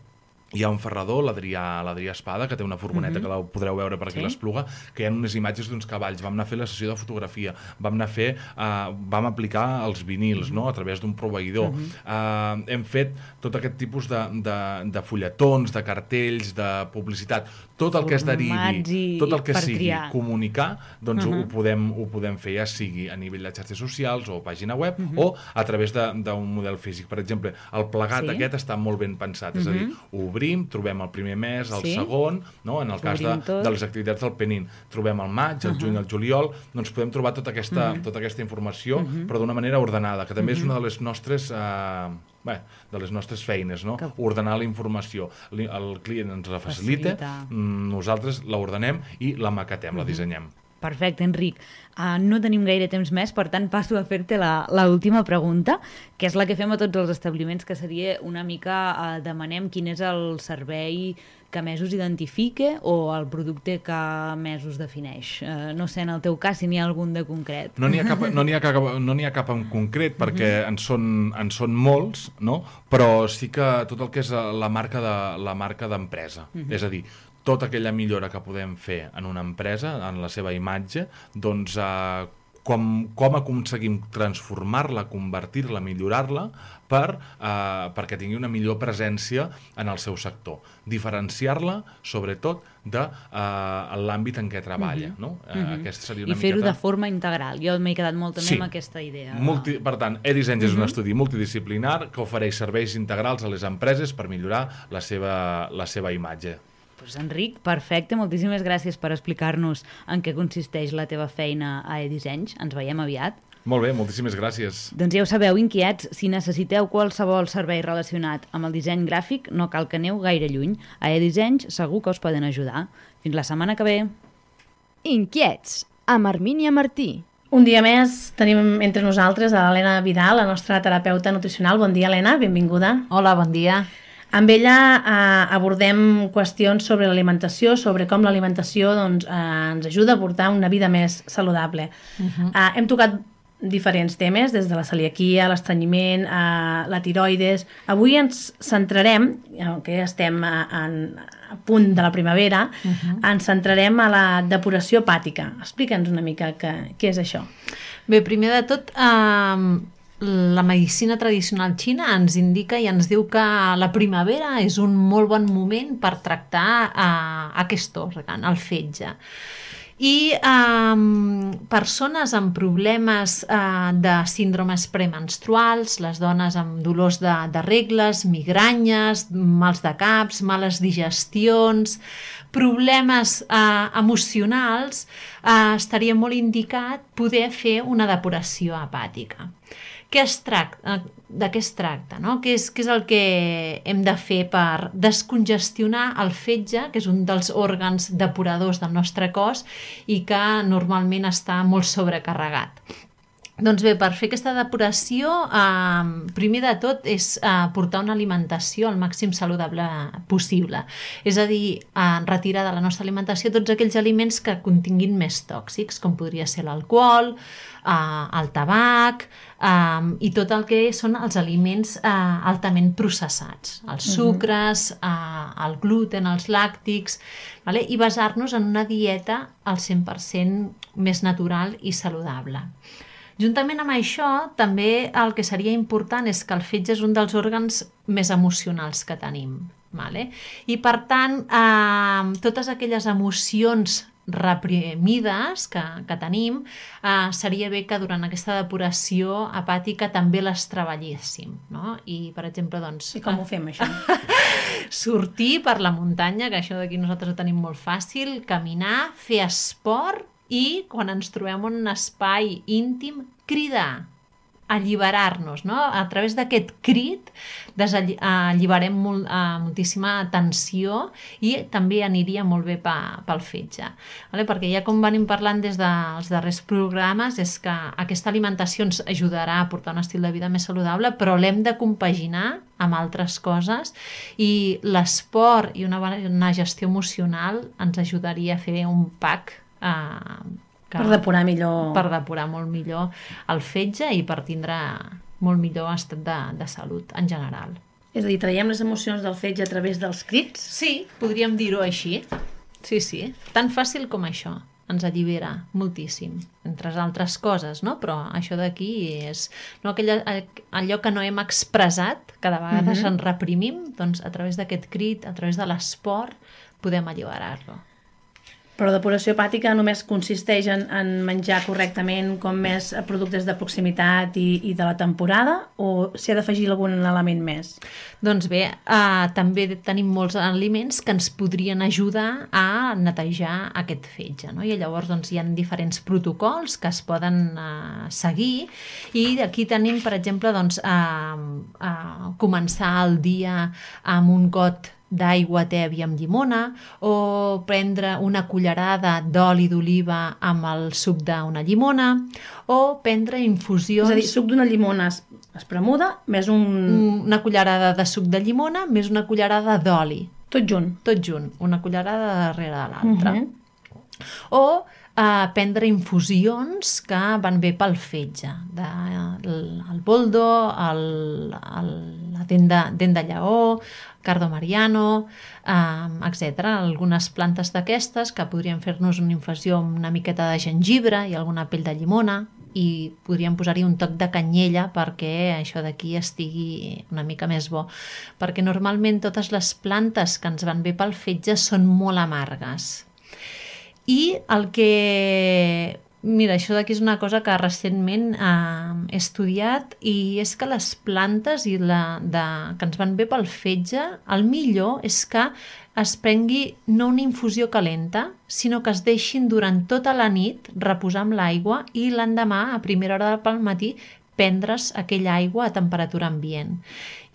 hi ha un ferrador, l'Adrià l'Adrià Espada, que té una furgoneta, uh-huh. que la podreu veure per aquí a sí? l'Espluga, que hi ha unes imatges d'uns cavalls. Vam anar a fer la sessió de fotografia, vam anar a fer, uh, vam aplicar els vinils, uh-huh. no?, a través d'un proveïdor. Uh-huh. Uh, hem fet tot aquest tipus de, de, de fulletons, de cartells, de publicitat, tot el que es derivi, tot el que sigui triar. comunicar, doncs uh-huh. ho, podem, ho podem fer, ja sigui a nivell de xarxes socials o pàgina web, uh-huh. o a través d'un model físic. Per exemple, el plegat sí? aquest està molt ben pensat, uh-huh. és a dir, obrir trobem el primer mes, el sí? segon, no? En el cas de, de les activitats del Penin, trobem el maig, el uh -huh. juny, el juliol, doncs podem trobar tota aquesta, uh -huh. tota aquesta informació, uh -huh. però d'una manera ordenada, que també uh -huh. és una de les nostres... Eh, Bé, de les nostres feines, no? Que... Ordenar la informació. El client ens la facilita, Facilita. nosaltres la ordenem i la maquetem, uh -huh. la dissenyem. Perfecte, Enric. Uh, no tenim gaire temps més, per tant passo a fer-te la, la última pregunta, que és la que fem a tots els establiments, que seria una mica, uh, demanem quin és el servei que més us identifica o el producte que més us defineix. Uh, no sé, en el teu cas, si n'hi ha algun de concret. No n'hi ha cap, no n'hi ha cap, no n'hi ha cap en concret, perquè uh-huh. en, són, en són molts, no? Però sí que tot el que és la marca de, la marca d'empresa. Uh-huh. És a dir, tota aquella millora que podem fer en una empresa, en la seva imatge, doncs eh, com, com aconseguim transformar-la, convertir-la, millorar-la per, eh, perquè tingui una millor presència en el seu sector. Diferenciar-la, sobretot, de eh, l'àmbit en què treballa. Uh-huh. no? eh, uh-huh. Aquesta seria una I fer-ho miqueta... de forma integral. Jo m'he quedat molt també sí. amb aquesta idea. Multi... Per tant, eDisseny uh-huh. és un estudi multidisciplinar que ofereix serveis integrals a les empreses per millorar la seva, la seva imatge. Pues Enric, perfecte, moltíssimes gràcies per explicar-nos en què consisteix la teva feina a eDissenys. Ens veiem aviat. Molt bé, moltíssimes gràcies. Doncs ja ho sabeu, inquiets, si necessiteu qualsevol servei relacionat amb el disseny gràfic, no cal que aneu gaire lluny. A eDissenys segur que us poden ajudar. Fins la setmana que ve. Inquiets, amb Armínia Martí. Un dia més tenim entre nosaltres a l'Helena Vidal, la nostra terapeuta nutricional. Bon dia, Helena, benvinguda. Hola, bon dia. Amb ella eh, abordem qüestions sobre l'alimentació, sobre com l'alimentació doncs, eh, ens ajuda a portar una vida més saludable. Uh-huh. eh, hem tocat diferents temes, des de la celiaquia, l'estrenyiment, eh, la tiroides. Avui ens centrarem, que estem a, en, a punt de la primavera, uh-huh. ens centrarem a la depuració hepàtica. Explica'ns una mica què, què és això. Bé, primer de tot, eh, la medicina tradicional xina ens indica i ens diu que la primavera és un molt bon moment per tractar eh, aquest òrgan, el fetge. I eh, persones amb problemes eh, de síndromes premenstruals, les dones amb dolors de, de regles, migranyes, mals de caps, males digestions, problemes eh, emocionals, eh, estaria molt indicat poder fer una depuració hepàtica. Què es tracta? De què es tracta? No? Què és, què és el que hem de fer per descongestionar el fetge, que és un dels òrgans depuradors del nostre cos i que normalment està molt sobrecarregat? Doncs bé, per fer aquesta depuració, eh, primer de tot és eh, portar una alimentació el màxim saludable possible. És a dir, eh, retirar de la nostra alimentació tots aquells aliments que continguin més tòxics, com podria ser l'alcohol, eh, el tabac eh, i tot el que són els aliments eh, altament processats, els sucres, eh, el gluten, els làctics, vale? I basar-nos en una dieta al cent per cent més natural i saludable. Juntament amb això, també el que seria important és que el fetge és un dels òrgans més emocionals que tenim. Vale? I per tant, eh, totes aquelles emocions reprimides que, que tenim, eh, seria bé que durant aquesta depuració hepàtica també les treballéssim. No? I, per exemple, doncs... I com ho fem, això? Sortir per la muntanya, que això d'aquí nosaltres ho tenim molt fàcil, caminar, fer esport, i quan ens trobem en un espai íntim, cridar, alliberar-nos, no? A través d'aquest crit alliberem molt, uh, moltíssima tensió i també aniria molt bé pa, pel fetge. Vale? Perquè ja com venim parlant des dels darrers programes és que aquesta alimentació ens ajudarà a portar un estil de vida més saludable, però l'hem de compaginar amb altres coses i l'esport i una bona gestió emocional ens ajudaria a fer un pack Uh, que, per depurar millor. Per depurar molt millor el fetge i per tindre molt millor estat de, de salut en general. És a dir, traiem les emocions del fetge a través dels crits? Sí, podríem dir-ho així. Sí, sí, tan fàcil com això. Ens allibera moltíssim, entre altres coses, no? Però això d'aquí és no, aquella, allò que no hem expressat, que de vegades uh-huh. ens reprimim, doncs a través d'aquest crit, a través de l'esport, podem alliberar-lo. Però la depuració hepàtica només consisteix en, en menjar correctament com més productes de proximitat i, i de la temporada o s'hi ha d'afegir algun element més? Doncs bé, eh, també tenim molts aliments que ens podrien ajudar a netejar aquest fetge, no? I llavors doncs, hi ha diferents protocols que es poden eh, seguir i aquí tenim, per exemple, doncs, eh, eh, començar el dia amb un got d'aigua tèbia amb llimona o prendre una cullerada d'oli d'oliva amb el suc d'una llimona o prendre infusions... És a dir, suc d'una llimona espremuda més un... Una cullerada de suc de llimona més una cullerada d'oli. Tot junt? Tot junt, una cullerada darrere de l'altra. Uh-huh. O eh, prendre infusions que van bé pel fetge, de, el, el boldo, el, el, la dent de, dent de lleó, cardo mariano, eh, etcètera. Algunes plantes d'aquestes que podrien fer-nos una infusió amb una miqueta de gengibre i alguna pell de llimona i podríem posar-hi un toc de canyella perquè això d'aquí estigui una mica més bo. Perquè normalment totes les plantes que ens van bé pel fetge són molt amargues. I el que... Mira, això d'aquí és una cosa que recentment eh, he estudiat i és que les plantes i la, de, que ens van bé pel fetge, el millor és que es prengui no una infusió calenta, sinó que es deixin durant tota la nit reposar amb l'aigua i l'endemà, a primera hora del matí, prendre's aquella aigua a temperatura ambient.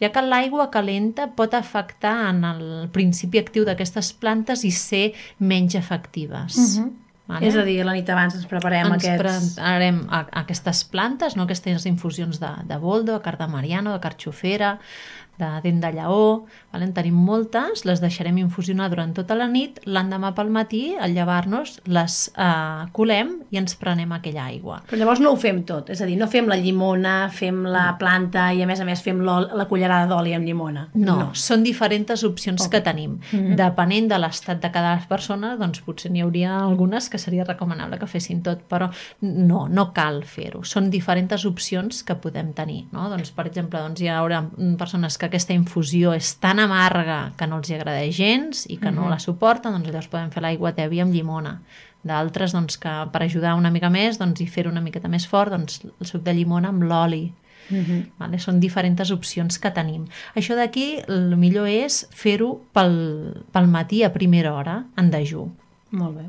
Ja que l'aigua calenta pot afectar en el principi actiu d'aquestes plantes i ser menys efectives. Uh-huh. Vale? És a dir, la nit abans ens preparem ens aquests... Ens preparem a, a aquestes plantes, no? Aquestes infusions de, de boldo, de cardamariano, de carxofera, de dent de lleó, vale? En tenim moltes, les deixarem infusionar durant tota la nit, l'endemà pel matí, al llevar-nos, les eh, colem i ens prenem aquella aigua. Però llavors no ho fem tot, és a dir, no fem la llimona, fem la planta i a més a més fem la cullerada d'oli amb llimona. No, no, són diferents opcions okay. que tenim. Mm-hmm. Depenent de l'estat de cada persona, doncs potser n'hi hauria algunes que seria recomanable que fessin tot, però no, no cal fer-ho. Són diferents opcions que podem tenir. No? Doncs, per exemple, doncs, hi haurà persones que aquesta infusió és tan amarga que no els agrada gens i que no uh-huh. la suporten, doncs llavors podem fer l'aigua tèbia amb llimona. D'altres, doncs, que per ajudar una mica més doncs, i fer-ho una miqueta més fort, doncs, el suc de llimona amb l'oli. Uh-huh. Vale? Són diferents opcions que tenim. Això d'aquí, el millor és fer-ho pel, pel matí a primera hora, en dejú. Molt bé.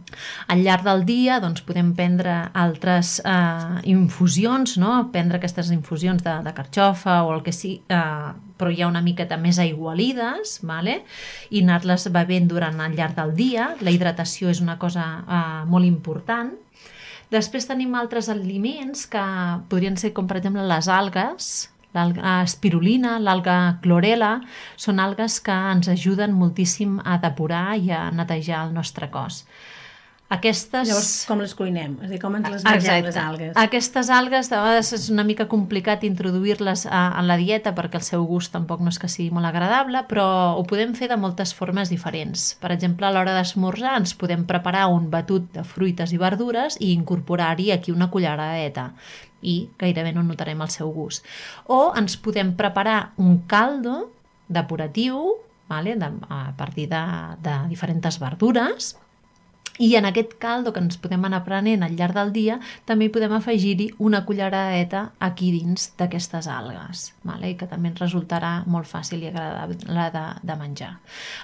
Al llarg del dia doncs, podem prendre altres eh, infusions, no? Prendre aquestes infusions de, de carxofa o el que sigui, eh, però hi ha una miqueta més aigualides, vale? I anar-les bevent durant el llarg del dia. La hidratació és una cosa eh, molt important. Després tenim altres aliments que podrien ser com per exemple les algues, l'alga espirulina, l'alga clorela, són algues que ens ajuden moltíssim a depurar i a netejar el nostre cos. Aquestes... Llavors, com les cuinem? És a dir, com ens les mengem, les algues? Aquestes algues, de vegades és una mica complicat introduir-les a, a la dieta perquè el seu gust tampoc no és que sigui molt agradable, però ho podem fer de moltes formes diferents. Per exemple, a l'hora d'esmorzar ens podem preparar un batut de fruites i verdures i incorporar-hi aquí una culleradeta i gairebé no notarem el seu gust. O ens podem preparar un caldo depuratiu, vale, de, a partir de, de diferents verdures, i en aquest caldo que ens podem anar prenent al llarg del dia també hi podem afegir-hi una culleradeta aquí dins d'aquestes algues, vale? I que també ens resultarà molt fàcil i agradable de, de menjar.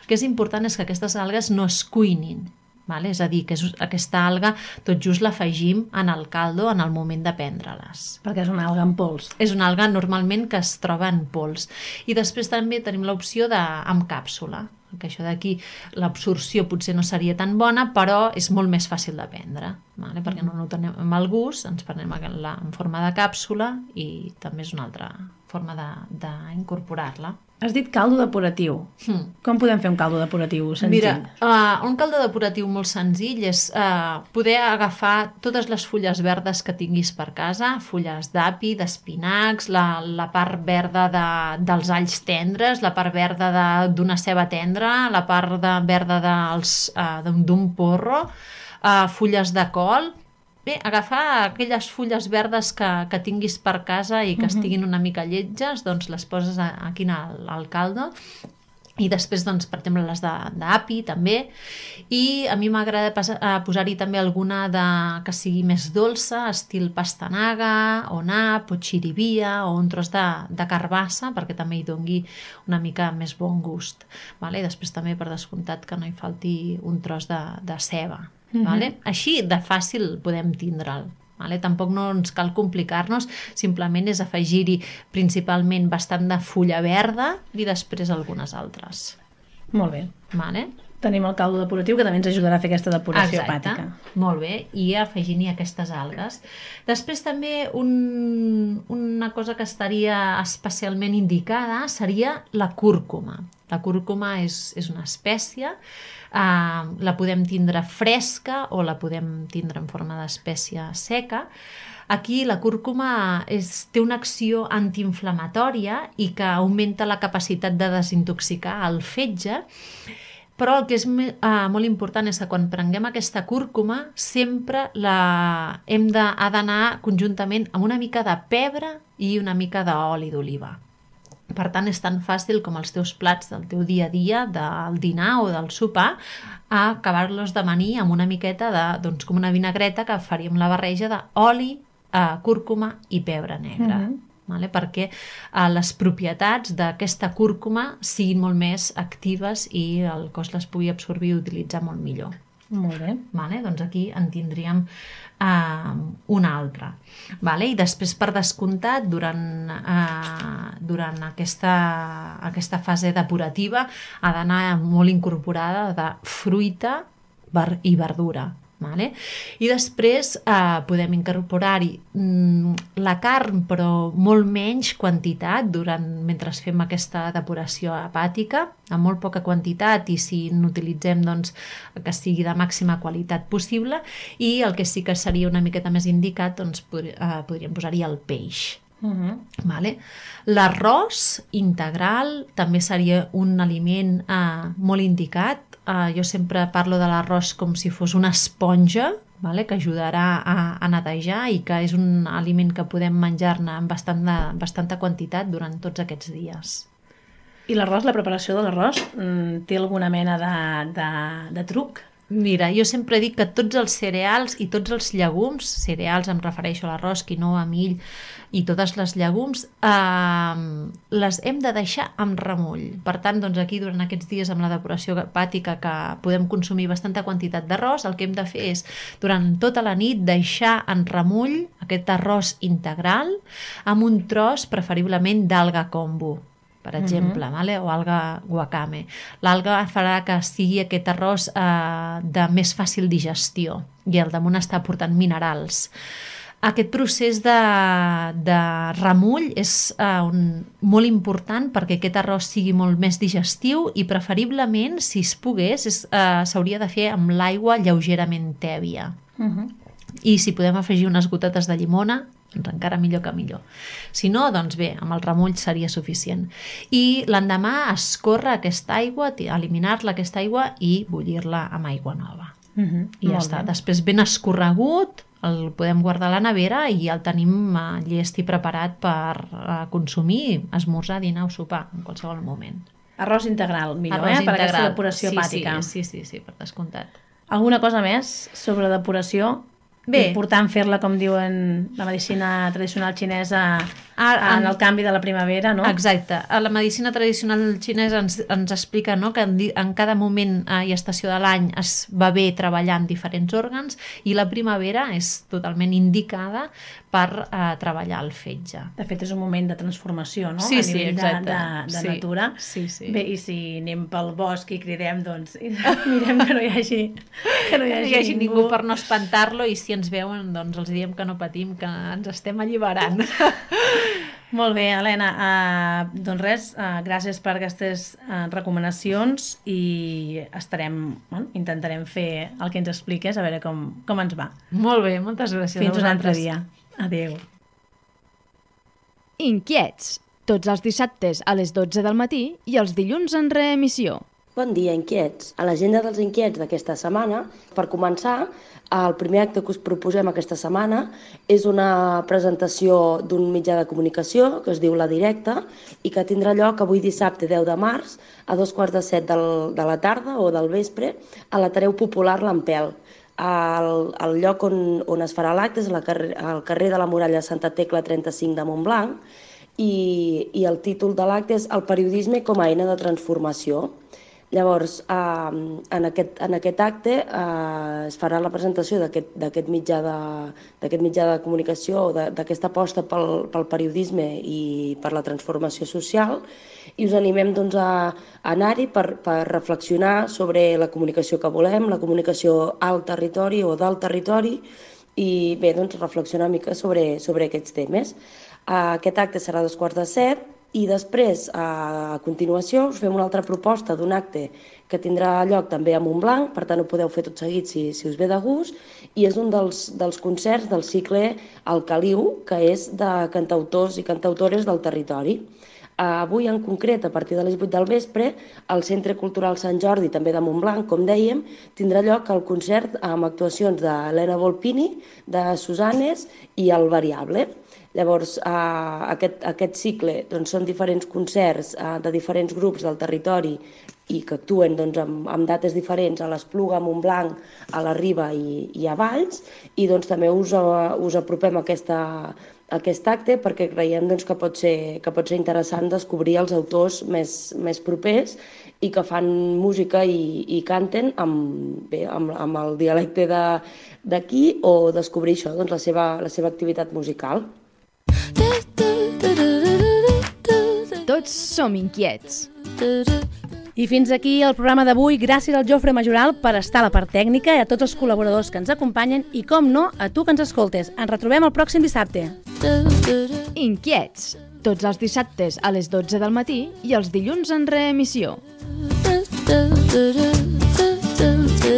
El que és important és que aquestes algues no es cuinin, vale? És a dir, que és, aquesta alga tot just l'afegim en el caldo en el moment de prendre-les. Perquè és una alga en pols. És una alga normalment que es troba en pols. I després també tenim l'opció de amb càpsula, que això d'aquí l'absorció potser no seria tan bona, però és molt més fàcil de prendre, vale? Perquè no notem el gust, ens prenem la en forma de càpsula i també és una altra forma d'incorporar-la. Has dit caldo depuratiu. Hmm. Com podem fer un caldo depuratiu senzill? Mira, uh, un caldo depuratiu molt senzill és uh, poder agafar totes les fulles verdes que tinguis per casa, fulles d'api, d'espinacs, la, la part verda de, dels alls tendres, la part verda d'una ceba tendra, la part de, verda dels, uh, d'un porro, uh, fulles de col. Bé, agafar aquelles fulles verdes que, que tinguis per casa i que estiguin una mica lletges, doncs les poses aquí al, al caldo. I després, doncs, per exemple, les d'api també. I a mi m'agrada posar-hi també alguna de, que sigui més dolça, estil pastanaga, o nap, o xirivia, o un tros de, de carbassa, perquè també hi dongui una mica més bon gust. Vale? I després també, per descomptat, que no hi falti un tros de, de ceba. Vale? Així de fàcil podem tindre'l. Vale? Tampoc no ens cal complicar-nos, simplement és afegir-hi principalment bastant de fulla verda i després algunes altres. Molt bé. Vale? Tenim el caldo depuratiu que també ens ajudarà a fer aquesta depuració Exacte. hepàtica. Molt bé, i afegint-hi aquestes algues. Després també un, una cosa que estaria especialment indicada seria la cúrcuma. La cúrcuma és, és una espècie. Uh, la podem tindre fresca o la podem tindre en forma d'espècie seca. Aquí la cúrcuma és, té una acció antiinflamatòria i que augmenta la capacitat de desintoxicar el fetge, però el que és uh, molt important és que quan prenguem aquesta cúrcuma sempre la hem de, ha d'anar conjuntament amb una mica de pebre i una mica d'oli d'oliva. Per tant, és tan fàcil com els teus plats del teu dia a dia, del dinar o del sopar, a acabar-los d'amanir amb una miqueta de, doncs, com una vinagreta que faríem la barreja d'oli, eh, cúrcuma i pebre negre. Mm-hmm. Vale? Perquè eh, les propietats d'aquesta cúrcuma siguin molt més actives i el cos les pugui absorbir i utilitzar molt millor. Molt bé. Vale? Doncs aquí en tindríem uh, una altra. Vale? I després, per descomptat, durant, uh, durant aquesta, aquesta fase depurativa ha d'anar molt incorporada de fruita i verdura. Vale? I després eh, podem incorporar-hi mm, la carn, però molt menys quantitat durant, mentre fem aquesta depuració hepàtica, amb molt poca quantitat, i si n'utilitzem, doncs, que sigui de màxima qualitat possible, i el que sí que seria una miqueta més indicat, doncs, pod eh, podríem posar-hi el peix. Uh-huh. Vale? L'arròs integral també seria un aliment eh, molt indicat. Uh, jo sempre parlo de l'arròs com si fos una esponja, vale? Que ajudarà a, a netejar i que és un aliment que podem menjar-ne amb bastant de, bastanta quantitat durant tots aquests dies. I l'arròs, la preparació de l'arròs, té alguna mena de, de, de truc? Mira, jo sempre dic que tots els cereals i tots els llegums, cereals em refereixo a l'arròs, quinoa, mill i totes les llegums, eh, les hem de deixar amb remull. Per tant, doncs aquí durant aquests dies amb la depuració hepàtica que podem consumir bastanta quantitat d'arròs, el que hem de fer és durant tota la nit deixar en remull aquest arròs integral amb un tros preferiblement d'alga kombu. per exemple, vale? O alga wakame. L'alga farà que sigui aquest arròs eh, de més fàcil digestió i al damunt està aportant minerals. Aquest procés de, de remull és uh, un, molt important perquè aquest arròs sigui molt més digestiu i preferiblement, si es pogués, uh, s'hauria de fer amb l'aigua lleugerament tèbia. Uh -huh. I si podem afegir unes gotetes de llimona, doncs encara millor que millor. Si no, doncs bé, amb el remull seria suficient. I l'endemà escórrer aquesta aigua, eliminar-la aquesta aigua i bullir-la amb aigua nova. Uh -huh. I ja està. Després ben escorregut, el podem guardar a la nevera i el tenim uh, llest i preparat per uh, consumir, esmorzar, dinar o sopar en qualsevol moment. Arròs integral, millor, Arròs eh? Per aquesta integral. depuració sí, hepàtica. Sí, sí, sí, sí, per descomptat. Alguna cosa més sobre depuració? Bé. Important fer-la, com diuen la medicina tradicional xinesa, Ah, en en- el canvi de la primavera, no? Exacte. A la medicina tradicional xinesa ens, ens explica, no, que en, di- en cada moment eh, i estació de l'any es va bé treballar en diferents òrgans i la primavera és totalment indicada per eh, treballar el fetge. De fet, és un moment de transformació, no? Sí, A sí, nivell de, exacte. de, de Sí, natura. sí, sí. Bé, i si anem pel bosc i cridem, doncs mirem que no hi hagi, que no hi Que no hagi, hi hagi ningú per no espantar-lo i si ens veuen doncs els diem que no patim, que ens estem alliberant. Molt bé, Helena. Uh, doncs res, uh, gràcies per aquestes uh, recomanacions i estarem, bueno, intentarem fer el que ens expliques, a veure com, com ens va. Molt bé, moltes gràcies. Fins a un altre vosaltres. dia. Adéu. Inquiets, tots els dissabtes a les dotze del matí i els dilluns en reemissió. Bon dia, inquiets. A l'agenda dels inquiets d'aquesta setmana, per començar, el primer acte que us proposem aquesta setmana és una presentació d'un mitjà de comunicació que es diu La Directa i que tindrà lloc avui dissabte deu de març a dos quarts de set del, de la tarda o del vespre a l'Ateneu Popular L'Ampel. El, el lloc on, on es farà l'acte és la carrer, al carrer de la Muralla Santa Tecla trenta-cinc de Montblanc i, i el títol de l'acte és El periodisme com a eina de transformació. Llavors, eh, en, aquest, en aquest acte eh, es farà la presentació d'aquest mitjà, de, mitjà de comunicació, d'aquesta aposta pel, pel periodisme i per la transformació social, i us animem doncs, a, a anar-hi per, per reflexionar sobre la comunicació que volem, la comunicació al territori o del territori, i bé, doncs, reflexionar una mica sobre, sobre aquests temes. Eh, aquest acte serà a dos quarts de set, i després, a continuació, us fem una altra proposta d'un acte que tindrà lloc també a Montblanc, per tant ho podeu fer tot seguit si, si us ve de gust, i és un dels, dels concerts del cicle El Caliu, que és de cantautors i cantautores del territori. Avui en concret, a partir de les vuit del vespre, al Centre Cultural Sant Jordi, també de Montblanc, com dèiem, tindrà lloc el concert amb actuacions d'Helena Volpini, de Susanes i El Variable. Llavors, eh, aquest, aquest cicle doncs, són diferents concerts eh, de diferents grups del territori i que actuen doncs, amb, amb dates diferents a l'Espluga, a Montblanc, a la Riba i, i a Valls, i doncs, també us, uh, us apropem a, aquesta, a aquest acte perquè creiem doncs, que, pot ser, que pot ser interessant descobrir els autors més, més propers i que fan música i, i canten amb, bé, amb, amb el dialecte d'aquí o descobrir això, doncs, la, seva, la seva activitat musical. Tots som inquiets. I fins aquí el programa d'avui. Gràcies al Jofre Majoral per estar a la part tècnica i a tots els col·laboradors que ens acompanyen i, com no, a tu que ens escoltes. Ens retrobem el pròxim dissabte. Inquiets, tots els dissabtes a les dotze del matí i els dilluns en reemissió.